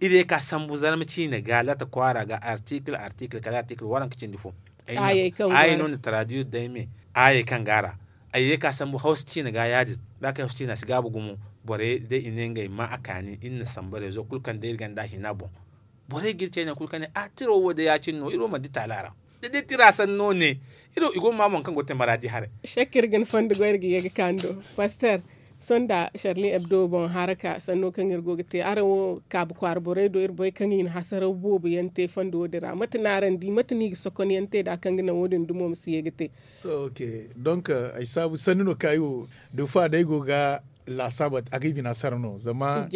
iri ye ka sambu zarma ciine ga latta kwaara ga artikil artikil kala artikil waranka cindi fo. Ay no na taraduir day me ayey kaŋ ga a ra. Ay ye ka sambu hawsa ciine ga ya- din da a kay hawsa ciine a si gaabu gumo. Borey day i ne ngey ma a kaani iri na sambu reezo kulu kaŋ day iri ganda a hina boŋ. Borey ga iri cayna kulu kaŋ ne a tiro wo day ya- cine no iri wo mana di taala ra. Da day tira sanno ne i go ga ma boŋ kaŋ go ga te maraadi haray. Sakka iri ga ni fondo go iri ga ye ga kaani do paster. Sohõ nda sharli ebdo boŋ haraka sanno kaŋ iri go ga te araŋ wo kaabu kwaara borey do iri bay kaŋ i na hasaraw boobo yaŋ te fondo wo- din ra mate no araŋ di mate no i ga sokon yaŋ te nd'a kaŋ ga naŋ wo- din dumo ma si ye ga te. To ok. Donk ay saabu sanni no kaŋ ay wo da fa day go ga laasaabu a ga ay bina sara no zama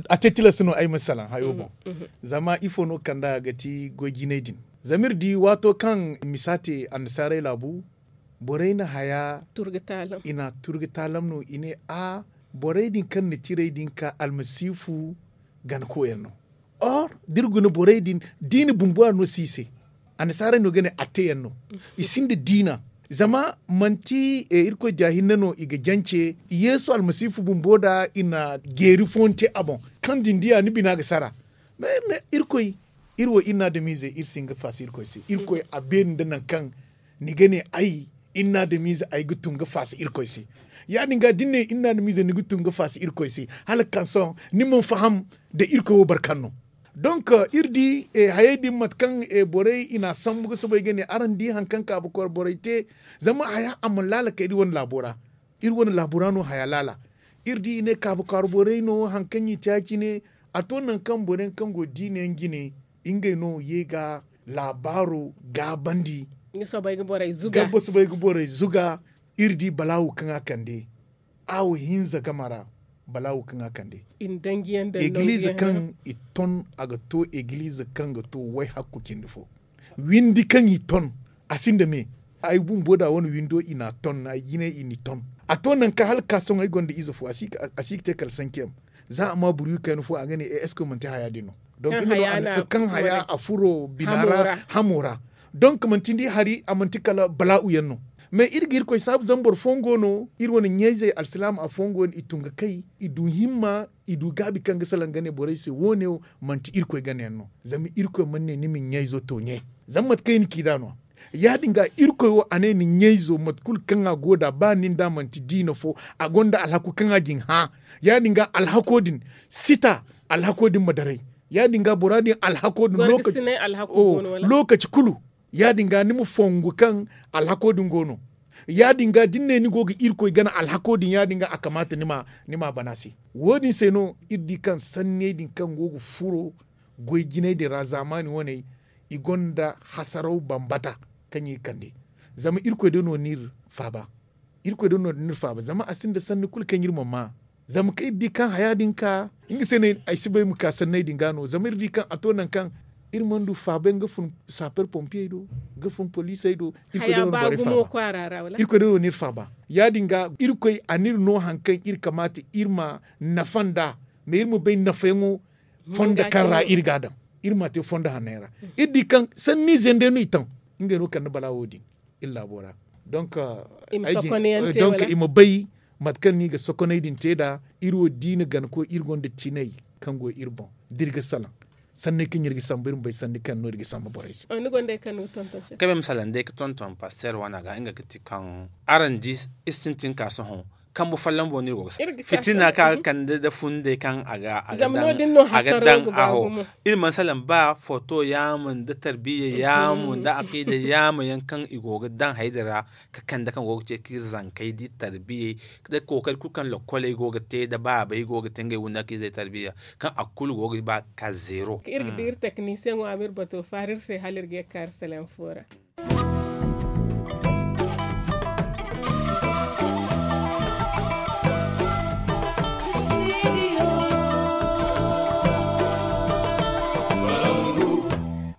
a te tilas no ay ma salaŋ hayo boŋ. Zama ifo no ga kand'a ga ti goy jinay din? Zama iri di waato kaŋ misa te annasaarey laabu borey na haya i na turga taalam no i ne a borey din kaŋ na tirey din ka almasiifu ganakoyaŋ no. Or da iri guna borey din diina bumbo a no si i se. Annasaarey no ga ne atteyaŋ no. I sinda diina zama manti irkoy diya hinne no i ga jance yeesu almasiifu bumbo da i na geeri fooyaŋ te a boŋ. Kaŋ din diya ni bina ga sara. Mais iri ne irkoy iri wo iri na adamiizey iri si hin ga faasa irkoy se irkoy a beeri nda nangu kaŋ ni ga ne ay iri na adamiize ay ga tun ga faasa irkoy se. Ya- din ga da ni ne iri na adamiize ni ga tun ga faasa irkoy se hala ga ka sohõ ni mana faham nda irkoy wo boro kaŋ no. Donk iri di hayey din mate kaŋ borey i na a sambu ga soobay ga ne araŋ di hari kaŋ kaabu kwaara borey te. Zama haya a mana laala kay iri wane laabo ra. Iri wane laabo ra no haya laala. Iri di i ne kaabu kwaara borey no hari kaŋ i te ya- cine. A to nangu kaŋ boro yaŋ kaŋ go diina yaŋ jine ngey no ye ga laabaaro gaabandi. Ga soobay ga borey zuga. iri di balaawu kaŋ a kande, awa hinza game ra. Balaawu kaŋ a kande, egiliize kaŋ i ton a ga to egiliize kaŋ ga to way-hakku cindi fo. Windi kaŋ i ton, a sinda me. Ay bumbo da wane windo i n'a ton ay jine i n'i ton. A to nangu kaŋ hala ga ka sohõ ay gonda ize fo a si ga te kala sankiyaŋ. Za a ma buru wi kayna fo a ga ne e esko manti haya din no? Donk kaŋ haya a furo bina ra, hamo ra. Donk manti ni di hari a manti kala bala'u yaŋ no. Mais iri ga irkoy saabu zama boro fooyaŋ go no iri wane ɲayzey alsilaama fooyaŋ go no i tun ga kay, i du himma, i du gaabi kaŋ ga salaŋ ga ne borey se wo- ne wo manti irkoy ganayaŋ no. Zama irkoy mana ne ni ma ɲayzo to ɲe. Zama mate kaŋ i na ci nd'a no ya- din ga irkoy wo a ne ni ɲayzo mate kulu kaŋ a go nd'a ba nin da manti diina fo, a gonda alhaku kaŋ a ga ni hã. Ya- din ga alhako din sita, alhako din ma daray. Ya- din ga bora din alhako din lokaci kulu. Ya- din ga ni ma fongu kaŋ alhako din go no. Ya- din ga da ni ne ni go ga irkoy gana alhako din ya- din ga a kamaata ni m'a bana se. Wo- din se no iri di kaŋ sanney din kaŋ go ga furo goy jinay din ra zaamaani waney, i gonda hasaraw bambata kaŋ i ga kande. Zama irkoy day no n'iri faaba. Irkoy day no n'iri faaba zama a sinda sanni kulu kaŋ iri ma maa. Zama kaŋ iri di kaŋ haya din ka, nga se no ay si bay ma ka sanney din ga no zama iri di kaŋ a to nangu kaŋ iri mana du faabay nga fun saaper pompiyey do, nga fun poliisey do. Irkoy day no n'iri faaba. Ya- din ga irkoy a n'iri no hari kaŋ iri kamaata iri ma nafa nd'a. Mais iri ma bay nafayaŋo fondo kaŋ ra iri ga a daŋ. Iri m'a te fondo hanney ra. Iri di kaŋ sanniizey day no i taŋ. Ngey no kande bala wo- din iri laabo ra. Donk i ma bay mate kaŋ no i ga sokoney din te nd'a. Iri wo diina gana koy iri gonda tinay kaŋ go iri boŋ da iri ga salaŋ sanney kaŋ iri ga samba iri ma bay sanni kaŋ no iri ga samba borey se. Kabe ma salaŋ day ga tonton pasteer wana ga nga ga ti kaŋ araŋ di iri sintin ka sohõ. Kambe folloŋ boŋ no iri go ga samba fitina kaŋ a ga kande nda fundey kaŋ a ga daŋ a ho. Iri mana salaŋ ba foto yaama nda tarbiya yaama nda akiida yaama yaŋ kaŋ i go ga daŋ hayda ra, ka kande kaŋ go ga ce ka iri zankey di tarbiyey nda kookari kulu kaŋ lokkoley go ga te nda baabey go ga te ngey wunna ka izey tarbiya, kaŋ a kulu go ga ba ga ka zeero. Iri ga di iri teknisiyeŋo a ma iri bato faara iri se hala iri ga ye ga ka iri seleŋ fo ra.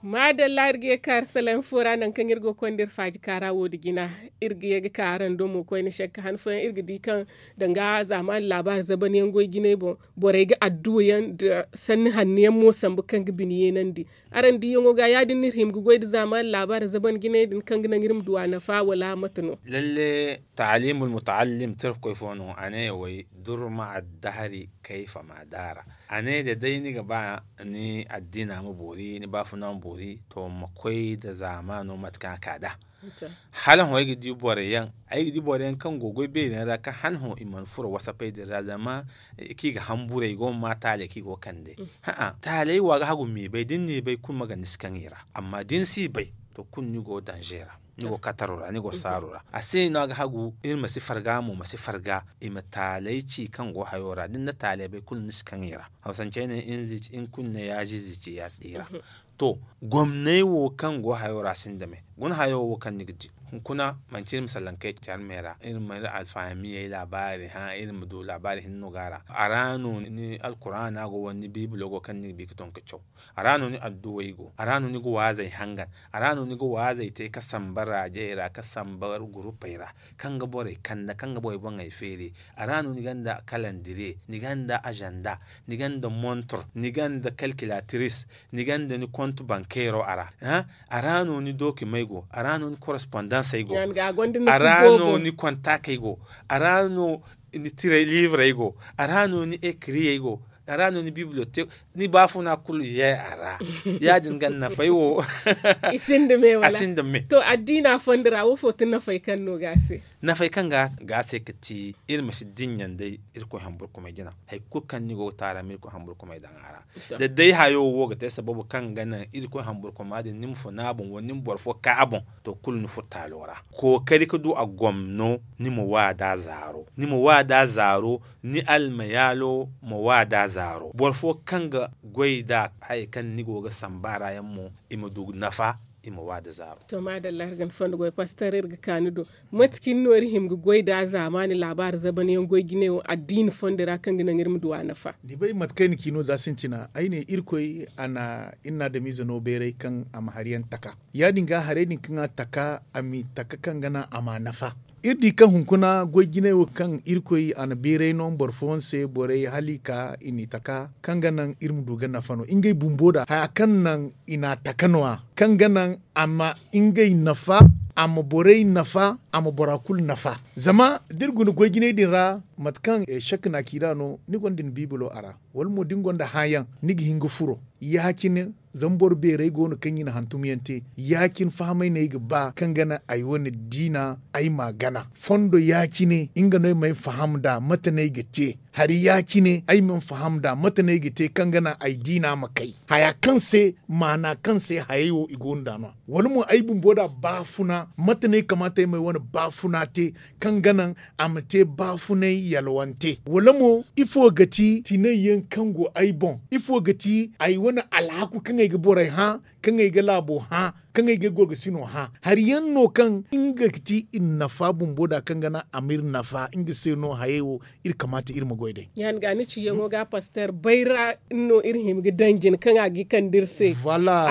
Maadalla iri ga ye ga ka iri seleŋ fo ra nangu kaŋ iri go ga konda iri faaji kaara wo- din jina. Iri ga ye ga ka araŋ do mo koyne sekka han fooyaŋ iri ga di kaŋ danga zaamaani laabaari zaban yaŋ goy jinay boŋ borey ga adduwa yaŋ nda sanni hanno yaŋ mo sambu kaŋ ga bine yeenandi. Araŋ diiyaŋo ga ya- din no iri hima ga goy nda zaamaani laabaari zaban jinay din kaŋ ga naŋ iri ma du a nafa wala mate no? Lalle, taalimul mutaallim tirkoy fo no a ne way durma addahari kayfa ma daara. A ne da day ni ga ba ni addiina ma boori ni baafuna ma boori to ma koy nda zaamaano mate kaŋ a ka nd'a. Hala hõ ay ga di boro yaŋ ay ga di boro yaŋ kaŋ go ga goy beeri yaŋ ra kaŋ hala hõ i mana furo wasapey din ra zama kaŋ i ga hamburay i go ga ma taaley kaŋ i go ga kande. Taaley wo a ga hagu ma i bay da ni n'i bay kulu ma ganda ni si kaŋ i ra. Amma da ni si bay to kulu ni go danze ra, ni go kataro ra ni go saaro ra a se no a ga hagu iri ma si farga mo ma si farga. I ma taaley ci kaŋ go hayo ra da ni na taaley bay kulu ni si kaŋ i ra. Hawsancey ne in kulu na yaazi zici ya tsira. To gomney wo kaŋ go hayo ra sinda me guna hayo wo kaŋ ni ga di hunkuna manci iri ma sallankey care me ra iri ma iri alfahamiya laabaari hã iri ma du laabaari hinne no go a ra. A ra no ni alkuraana go wala ni biibilo go kaŋ ni ga bi ga ton ga caw. A ra no ni adduwey go a ra no ni ga waazey hangan. A ra no ni ga waazey te ga samba raajey ra ga samba gurupey ra kaŋ ga borey kande kaŋ ga borey boŋey feeri. A ra no ni gonda kalandire, ni gonda azanda, ni gonda montor, ni gonda kalkilatiris, ni gonda ni kontu bankeero a ra. A ra no ni dokimey go a ra no ni korespondensey go. A ra no ni kontaakey go. A ra no ni tirey liivrey go. A ra no ni ekiriyey go. A ra no ni bibliyotek ni baafuna kulu ye a ra. Ya- din ga nafay wo. I sinda me wala a sinda me. To addiina fondo ra wo fo ti nafay kaŋ no ga a se? Nafay kaŋ ga a se ga ti iri ma si dinya day irkoy hamburkumay jina. Hari kulu kaŋ ni go ga taara ma irkoy hamburkumay daŋ a ra. Da day hayo wo ga te sababu kaŋ ga naŋ irkoy hamburkuma din ni ma funa a boŋ wala ni ma boro fo ka a boŋ to kulu ni furo taalo ra. Kookari ga du a gomno ni ma waada zaaro ni ma waada zaaro. Ni almayaalo ma waada zaaro boro fo kaŋ ga goy da haya kaŋ ni go ga samba ra yaŋ mo i ma du nafa. i ma wa da zaaro. To maadalla iri ga ni fondo goy paster iri ga ka ni do. Mate cine no iri hima ga goy nd'a zaamaani laabaari zaban yaŋ goy jinay wo addiina fondo ra kaŋ ga naŋ iri ma du a nafa? Ni bay mate kaŋ ay na ci no za sintina ay ne irkoy a na iri na adamize no bayray kaŋ a ma hari yaŋ taka. Ya- din ga haray din kaŋ a taka a m'i taka kaŋ ga naŋ a m'a nafa. Iri di kaŋ hunkuna goy jinay wo kaŋ irkoy a na bayray no boro fooyaŋ se borey hala i ka i n'i taka kaŋ ga naŋ iri ma du ga nafa no ngey bumbo nd'a haya kaŋ naŋ i n'a taka no- ya kaŋ ga naŋ a ma ngey nafa, a ma borey nafa, a ma bora kulu nafa. Zama da iri guna goy jinay din ra mate kaŋ sek na a ci nd'a no ni gonda ni biibilo a ra, wala mo da ni gonda hãayaŋ ni ga hin ga furo. Ya- cine zama boro beerey go no kaŋ i na hantumyaŋ te. Ya- cine fahamay no ay ga ba kaŋ ga naŋ ay wane diina ay m'a gana fondo ya- cine nga no ay ma ay faham nd'a mate no ay ga te. Hari ya- cine ay mana faham nd'a mate no ay ga te kaŋ ga naŋ ay diina ma kay haya kaŋ se maana kaŋ se hayey wo i go no nd'a no- ya wala mo ay bumbo nd'a baafuna mate no ay kamaata ay ma ay wane baafuna te kaŋ ga naŋ a ma te baafunay yalwante wala mo ifo ga ti tinay yaŋ kaŋ go ay boŋ? Ifo ga ti ay wane alhaku kaŋ ay ga borey hã kaŋ ay ga laabo hã kaŋ ay ga ay gorgasino hã? Hari yaŋ no kaŋ nga ga ti i na nafa bumbo nd'a kaŋ ga naŋ a m'iri nafa nga se no hayey wo iri kamaata iri ma goy day. Ya- din ga ni ciyaŋo ga paster bayra no iri hima ga daŋ jina kaŋ a ga kande iri se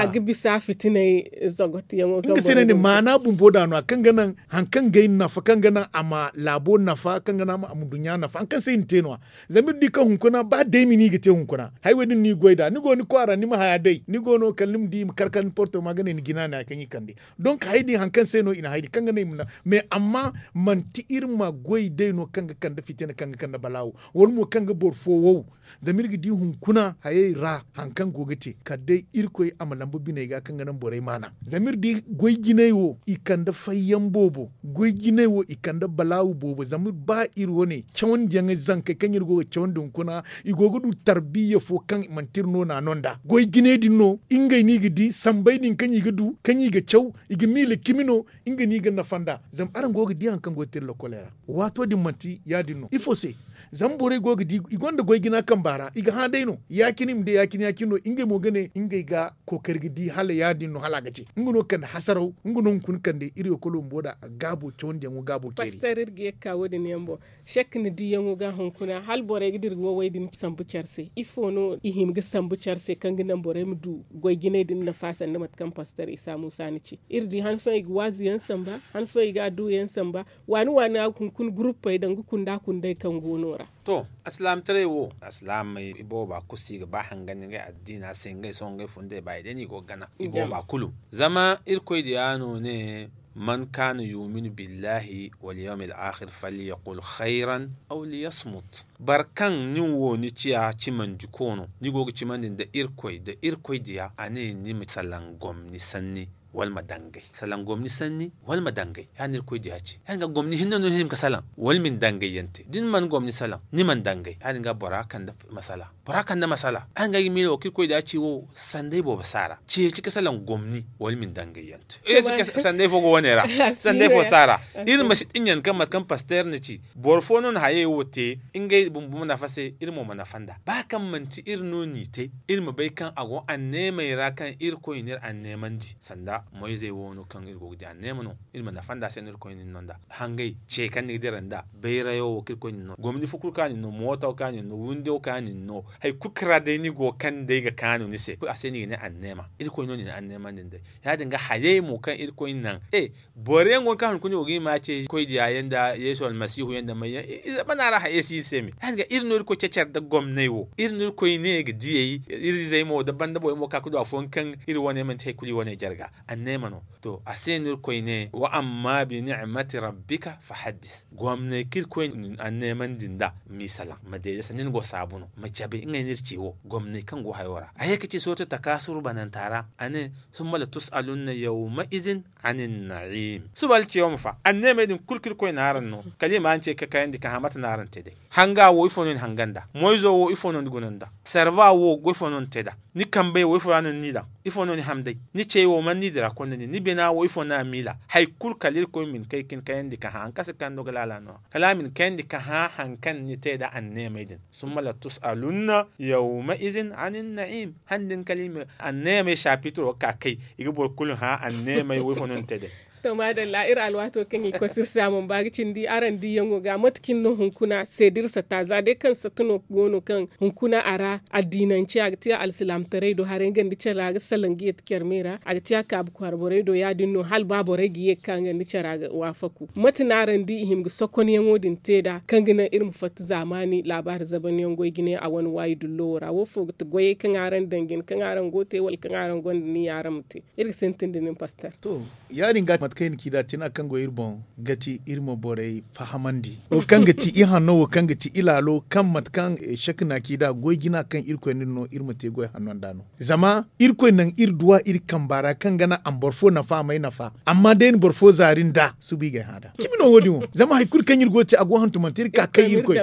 a ga bisa fitinay zagotiyaŋo kaŋ borey ga maana bumbo nd'a no- ya kaŋ ga naŋ hari kaŋ ga ay nafa kaŋ ga naŋ a ma laabo nafa kaŋ ga naŋ a ma duɲɲa nafa hari kaŋ se i na te no- ya. Zama iri di kaŋ hunkuna ba daymi no i ga te hunkuna hari wo- din no i ga goy nd'a ni go ni kwaara ni ma haya day ni go no kala ni ma di i ma kar kala ni porto ma ga ne ni jina no- ya kaŋ i kande. Donk hari din hari kaŋ se no i na hari din kaŋ ga ne i ma naŋ mais amma manti iri ma goy day no kaŋ ga kande fitina kaŋ ga kande balaawo wala mo kaŋ ga boro fo wow. Zama iri ga di hunkuna hayey ra hari kaŋ go ga te kala day irkoy a ma lamba biney ga kaŋ ga naŋ borey maana. Zama iri di goy jinay wo i kande fayyaŋ boobo goy jinay wo i kande balaawu boobo zama ba iri wane cawandiyaŋey zankey kaŋ iri go ga cawandi hunkuna i go ga du tarbiyya fo kaŋ manti iri no naano nd'a goy jinay din no ngey no i ga di sambey din kaŋ i ga du kaŋ i ga caw i ga miila cimi no. Nga no i ga nafa nd'a zama araŋ go ga di hari kaŋ go ga te iri lokoley ra. Waato din manti ya- din no ifo se? Zama borey go ga di i gonda goy jina kamba ra i ga hã day no ya- cine i ma day ya- cine ya- cine no ngey mo ga ne ngey ga kookari ga di hala ya- din no hala a ga te nga no kande hasaraw nga no hunkuna kande iri ga kolo bumbo nd'a gaabo cawandiyaŋo gaabo ceeri. Paster iri ga ye ga ka wo- din yaŋ boŋ. Sek ni diyaŋo ga hunkuna hala borey ga dira wowey din sambu care se ifo no i hima ga sambu care se kaŋ ga naŋ borey ma du goy jinay din nafa sanda mate kaŋ paster isa muusa ni ci iri di han fooyaŋ i ga waazu yaŋ samba han fooyaŋ i ga adduwa yaŋ samba. Waani waani ra hunkuna guruppey danga kunda kundey kaŋ go no ra. To alsilaamataray wo alsilaamey i booba kulu si ga ba hangandi ngey addiina se ngey sohõ ngey fundey ba i day no i go ga gana i booba kulu. Zama irkoy diya no ne man kaana yuminu billahi wal yawmil akhir falyaqul khayran aw liyasmut. Boro kaŋ nin wo ni ciya cimandiko no ni go ga cimandi nda irkoy nda irkoy diya a ne ni ma salaŋ gomni sanni wala ma dangay salaŋ gomni sanni wala ma dangay ya- din irkoy diya ci ya- din ga gomni hinne no ni hima ga salaŋ wala ma ni dangay yaŋ te da ni mana gomni salaŋ ni mana dangay ya- din ga bora kande masala bora kande masala ya- din ga ay ga miila wo kaŋ irkoy diya ci wo sanday boobo si a ra ceeci ga salaŋ gomni wala ma ni dangay yaŋ te sanday fo go wane ra sanday fo si a ra. Iri ma si dinya kaŋ mate kaŋ paster na ci boro fo no na hayey wo te ngey bumbo ma nafa se iri mo ma nafa nd'a ba kaŋ manti iri no n'i te iri ma bay kaŋ a go anneemey ra kaŋ irkoy n'iri anneemandi sanda moyzey wo no kaŋ iri go ga di anneema no iri ma nafa nd'a se no irkoy n'iri no nd'a hangey ce kaŋ ni ga dira nd'a bayrayo wo kaŋ irkoy n'iri no gomni fo kulu kaŋ a n'iri no mooto kaŋ a n'iri no windo kaŋ a n'iri no hari kulu kaŋ ra day ni go kaŋ day ga kaanu ni se a se no i ga ne anneema irkoy no n'i na anneemandi nd'ey ya- din ga hayey mo kaŋ irkoy naŋ e boro yaŋ go no kaŋ hunkuna i go ga i ma ce koy diya yaŋ nda yeesu almasihu yaŋ nda may yaŋ i zama no a ra hayey si iri se me ya- din ga iri no irkoy cecer nda gomnay wo iri no irkoy ne ga diyey iri izey mo nda banda borey mo ga ka ga du afooyaŋ kaŋ iri wane manti hari kulu i wane jarga anneema no. To a se no irkoy ne wa amma bi ni'mati rabbika fa haddis gomnay kaŋ irkoy anneemandi nd'a m'i salaŋ ma deede sanda ni go saabu no ma cabe ngey no iri ce wo gomnay kaŋ go hayo ra a ye ga ci sortu takaasuru bananta ra a ne summa la tus'alunna yawma izin anin na'im suba alciyawma fa anneemey din kulu kaŋ irkoy na araŋ no kala i ma araŋ ce ga kayandi ka hã mate no araŋ te day hanga wo ifo no ni hanga nd'a moyzo wo ifo no ni guna nd'a Sarva wo goy fo no ni te nd'a? Ni kambey wo ifo ra no ni n'i daŋ? Ifo no ni ham day? Ni cey wo man ni dira konda nin ni bina wo ifo no a miila? Hari kulu kala irkoy ma ni kay ka ni kayandi ka hã hari kaŋ se kaŋ no ga laala no- ya kala a ma ni kayandi ka hã hari kaŋ ni te nd'a anneemey din. Summa la tus alunna yawma izin anin na'im. Hari din kala i ma anneemey sapitiro ga ka kay, i ga boro kulu hã anneemey wo ifo no ni te day? To maadalla iri alwaato kaŋ i ga koy se iri se a mana ba ga cindi araŋ diiyaŋo ga mate cine no hunkuna seeda iri sata za day kaŋ sata no go no kaŋ hunkuna a ra addiinance a ga te alsilaamataray do haray nga nda care a ga salaŋ ga yeeti care me ra a ga te a kaabu kwaara borey do ya- din no hala ba borey ga ye ga ka nga nda care a ga waafaku mate no araŋ di i hima ga sokonyaŋo din te nd'a kaŋ ga naŋ iri ma fatta zaamaani laabaari zabanyaŋ goy jine a wane waayi dullo wo ra wo fo ga ti goyey kaŋ araŋ daŋ jine kaŋ araŋ go ga te wala kaŋ araŋ gonda ni yaŋ araŋ ma te? Iri ga sintin da nin pastor. To, ya- din ga mate kaŋ i na ci nd'a tina kaŋ go iri boŋ ga ti iri ma borey fahamandi wo kaŋ ga ti ihanno wo kaŋ ga ti ilaalo kaŋ mate kaŋ shek na ci nd'a goy jina kaŋ irkoy na iri no iri ma te goy hanno nd'a no. Zama irkoy naŋ iri duwa iri kamba ra kaŋ ga naŋ a ma boro fo nafa a m'ay nafa. Amma day na boro fo zaari nd'a suba i g'ay hã nd'a cimi no wo- din wo zama hari kulu kaŋ iri go ga te a go hantumante iri ka kay irkoy.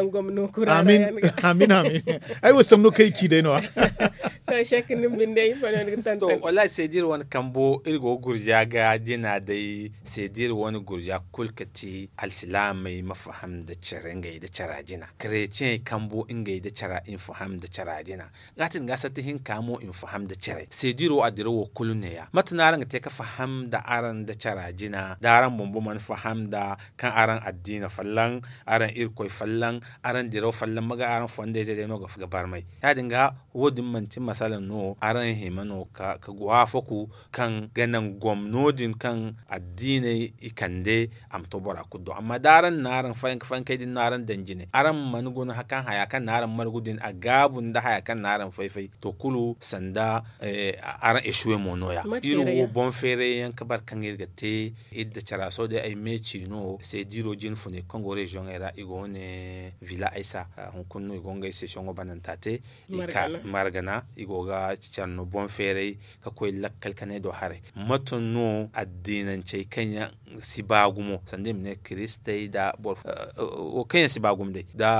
Amin amin. Ay wo samno kaŋ i ci day no- ya. To shek ni ma binde ifo no ni ga tantan? Wallaahi seeda iri wane kambo iri go ga gurja ga jina day seeda iri wane gurja kulu ga ti alsilaamey ma faham nda care ngey nda cara jina. Karetiyeŋey kambo ngey nda cara i ma faham nda cara jina. Ga a tin ga satti hinka mo i ma faham nda care seeda iri wo a dirawo kulu neeya mate no araŋ ga te ga faham nda araŋ nda cara jina da araŋ bumbo mana faham nda kaŋ araŋ addiina folloŋ, araŋ irkoy folloŋ, araŋ diraw folloŋ ma ga araŋ fondayzey day no ga barmay. Ya- din ga wo- din manti masala no araŋ hima no ga waafaku kaŋ ga naŋ gomno din kaŋ addiiney i kande a ma to bora kulu do amma da araŋ na araŋ fayanka fayankey din no araŋ daŋ jine araŋ mana guna kaŋ haya kaŋ na araŋ margu din a gaabu nda haya kaŋ na araŋ fay-fay to kulu sanda araŋ esuwe mo no- ya. Iri wo boŋ feeray yaŋ ga bar kaŋ iri ga te iri da cara sohõ day ay meeci no seeda iri wo jine funay kaŋ go reziyoŋey ra i go wane vila aysa hunkuna no i go ngey sesiyoŋo bananta te. Margana i go ga care no boŋ feeray ga koy lakkal kanay do haray. Mate no addiinancey kaŋ yaŋ si ba gumo sanda i ma ne kiristey nda boro fo kaŋ yaŋ si ba gumo day nda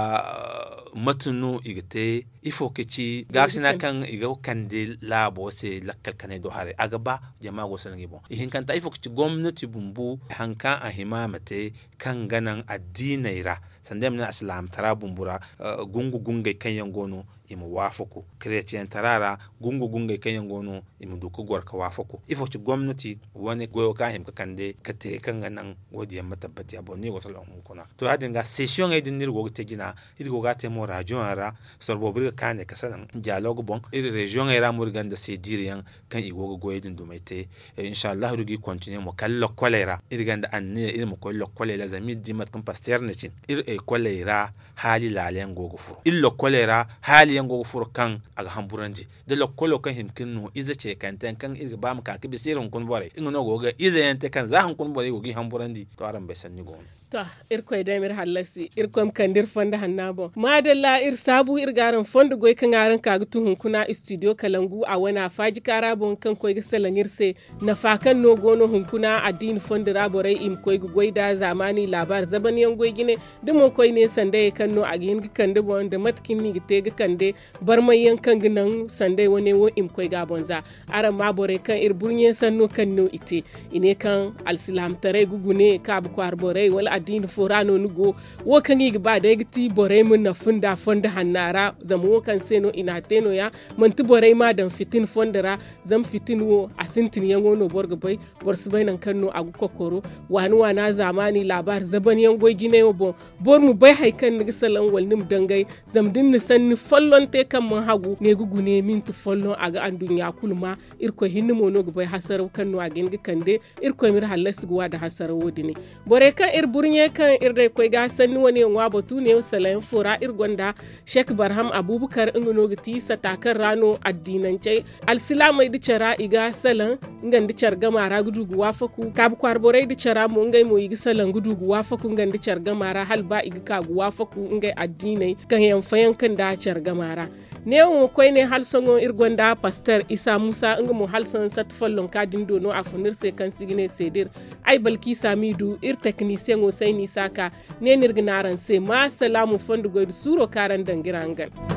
mate no i ga te ifo ga ci gaakasina kaŋ i ga kande laabo se lakkal kanay do haray a ga ba jama go salaŋ i boŋ ihinkanta ifo ga ci gomnati bumbu hari kaŋ a hima a ma te kaŋ ga naŋ addiiney ra sanda i ma ne alsilaamtara bumbu ra gungu gungey kaŋ yaŋ go no i ma waafaku kareetiyaŋ tara ra gungu gungey kaŋ yaŋ go no i ma du ga goro ga waafaku ifo ga ci gomnati wane goyo kaŋ a hima ga kande ga te kaŋ ga naŋ wo- din yaŋ ma tabbati ya boro no i go ga salaŋ hunkuna to ya- din ga sesiyoŋey din no iri go ga te jina iri go ga a te mo raziyoŋ yaŋ ra soro boobo iri ga kaanay ga salaŋ diyaloog boŋ iri reziyoŋey ra mo iri gonda seeda iri yaŋ kaŋ i go ga goyey din dumey te. Insa allahu iri ga i kontiniye mo kala lokkoley ra iri gonda anniya iri ma koy lokkoley ra zama iri di mate kaŋ pasteer na cin iri ekoley ra haali laala yaŋ go ga furo iri lokkoley ra haali yaŋ go ga furo kaŋ a ga hamburandi da lokkolo kaŋ hima ka iri no ize ceekante yaŋ kaŋ iri ga ba ma ka ga bisa iri hunkuna borey nga no go ga ize yaŋ te kaŋ za hunkuna borey go ga i hamburandi to araŋ bay sanni go no. To irkoy day ma iri hallasi irkoy ma kande iri fondo hanna boŋ maadalla iri saabu iri ga araŋ fondo goy kaŋ araŋ ka ga tu hunkuna istidiyo kalangu a wane a faaji kaara boŋ kaŋ koy ga salaŋ iri se nafa kaŋ no go no hunkuna addiini fondo ra borey i ma koy ga goy nd'a zaamaani laabaari zaban yaŋ goy jine da mo koyne sandayey kaŋ no a ga hin ga kande boŋ nda mate kaŋ ni ga te ga kande barmay yaŋ kaŋ ga naŋ sandey wane wo i ma koy ga a boŋ za. Araŋ ma borey kaŋ iri burɲe sanno kaŋ no i te i ne kaŋ alsilaamataray ga gune kaabu kwaara borey wala addiini fo ra no ni go wo kaŋ i ga ba day ga ti borey ma nafu nda fondo hanna ra zama wo kaŋ se no i n'a te no- ya manti borey m'a daŋ fitina fondo ra. Zama fitina wo a sintinyaŋo no boro ga bay boro si bay nangu kaŋ no a ga kokoro waani waana zaamaani laabaari zaban yaŋ goy jinay wo boŋ boro ma bay hari kaŋ ni ga salaŋ wala ni ma dangay. Zama da ni na sanni folloŋ te kaŋ mana hagu ne ga gune minti folloŋ a ga anduɲɲa kulu ma irkoy hinne mo no ga bay hasaraw kaŋ no a ga hin ga kande. Irkoy ma iri hallasi ga wa nda hasaraw wo- din borey kaŋ iri burɲe kaŋ iri day koy ga sanni wane yaŋ wa batu ne salaŋ yaŋ fo ra iri gonda sek barham abubakar nga no ga ti sata kaŋ ra no addiinancey alsilaamey nda care ra i ga salaŋ nga nda care gama ra ga du ga waafaku kaabu kwaara borey nda care ra mo ngey mo i ga salaŋ ga du ga waafaku nga nda care gama ra hala ba i ga ka ga waafaku ngey addiiney kaŋ yaŋ fayanka nda care gama ra. Neewo mo koyne hala sohõ iri gonda paster isa muusa nga mo hala sohõ satta follonka din do no a fun iri se kaŋ si ga ne seeda iri ay balkiisa m'i du iri teknisiyeŋo sayni isa ka ne no iri ga ne araŋ se ma salaamu fondo goy nda suuro kaŋ araŋ daŋ ga iri hangan.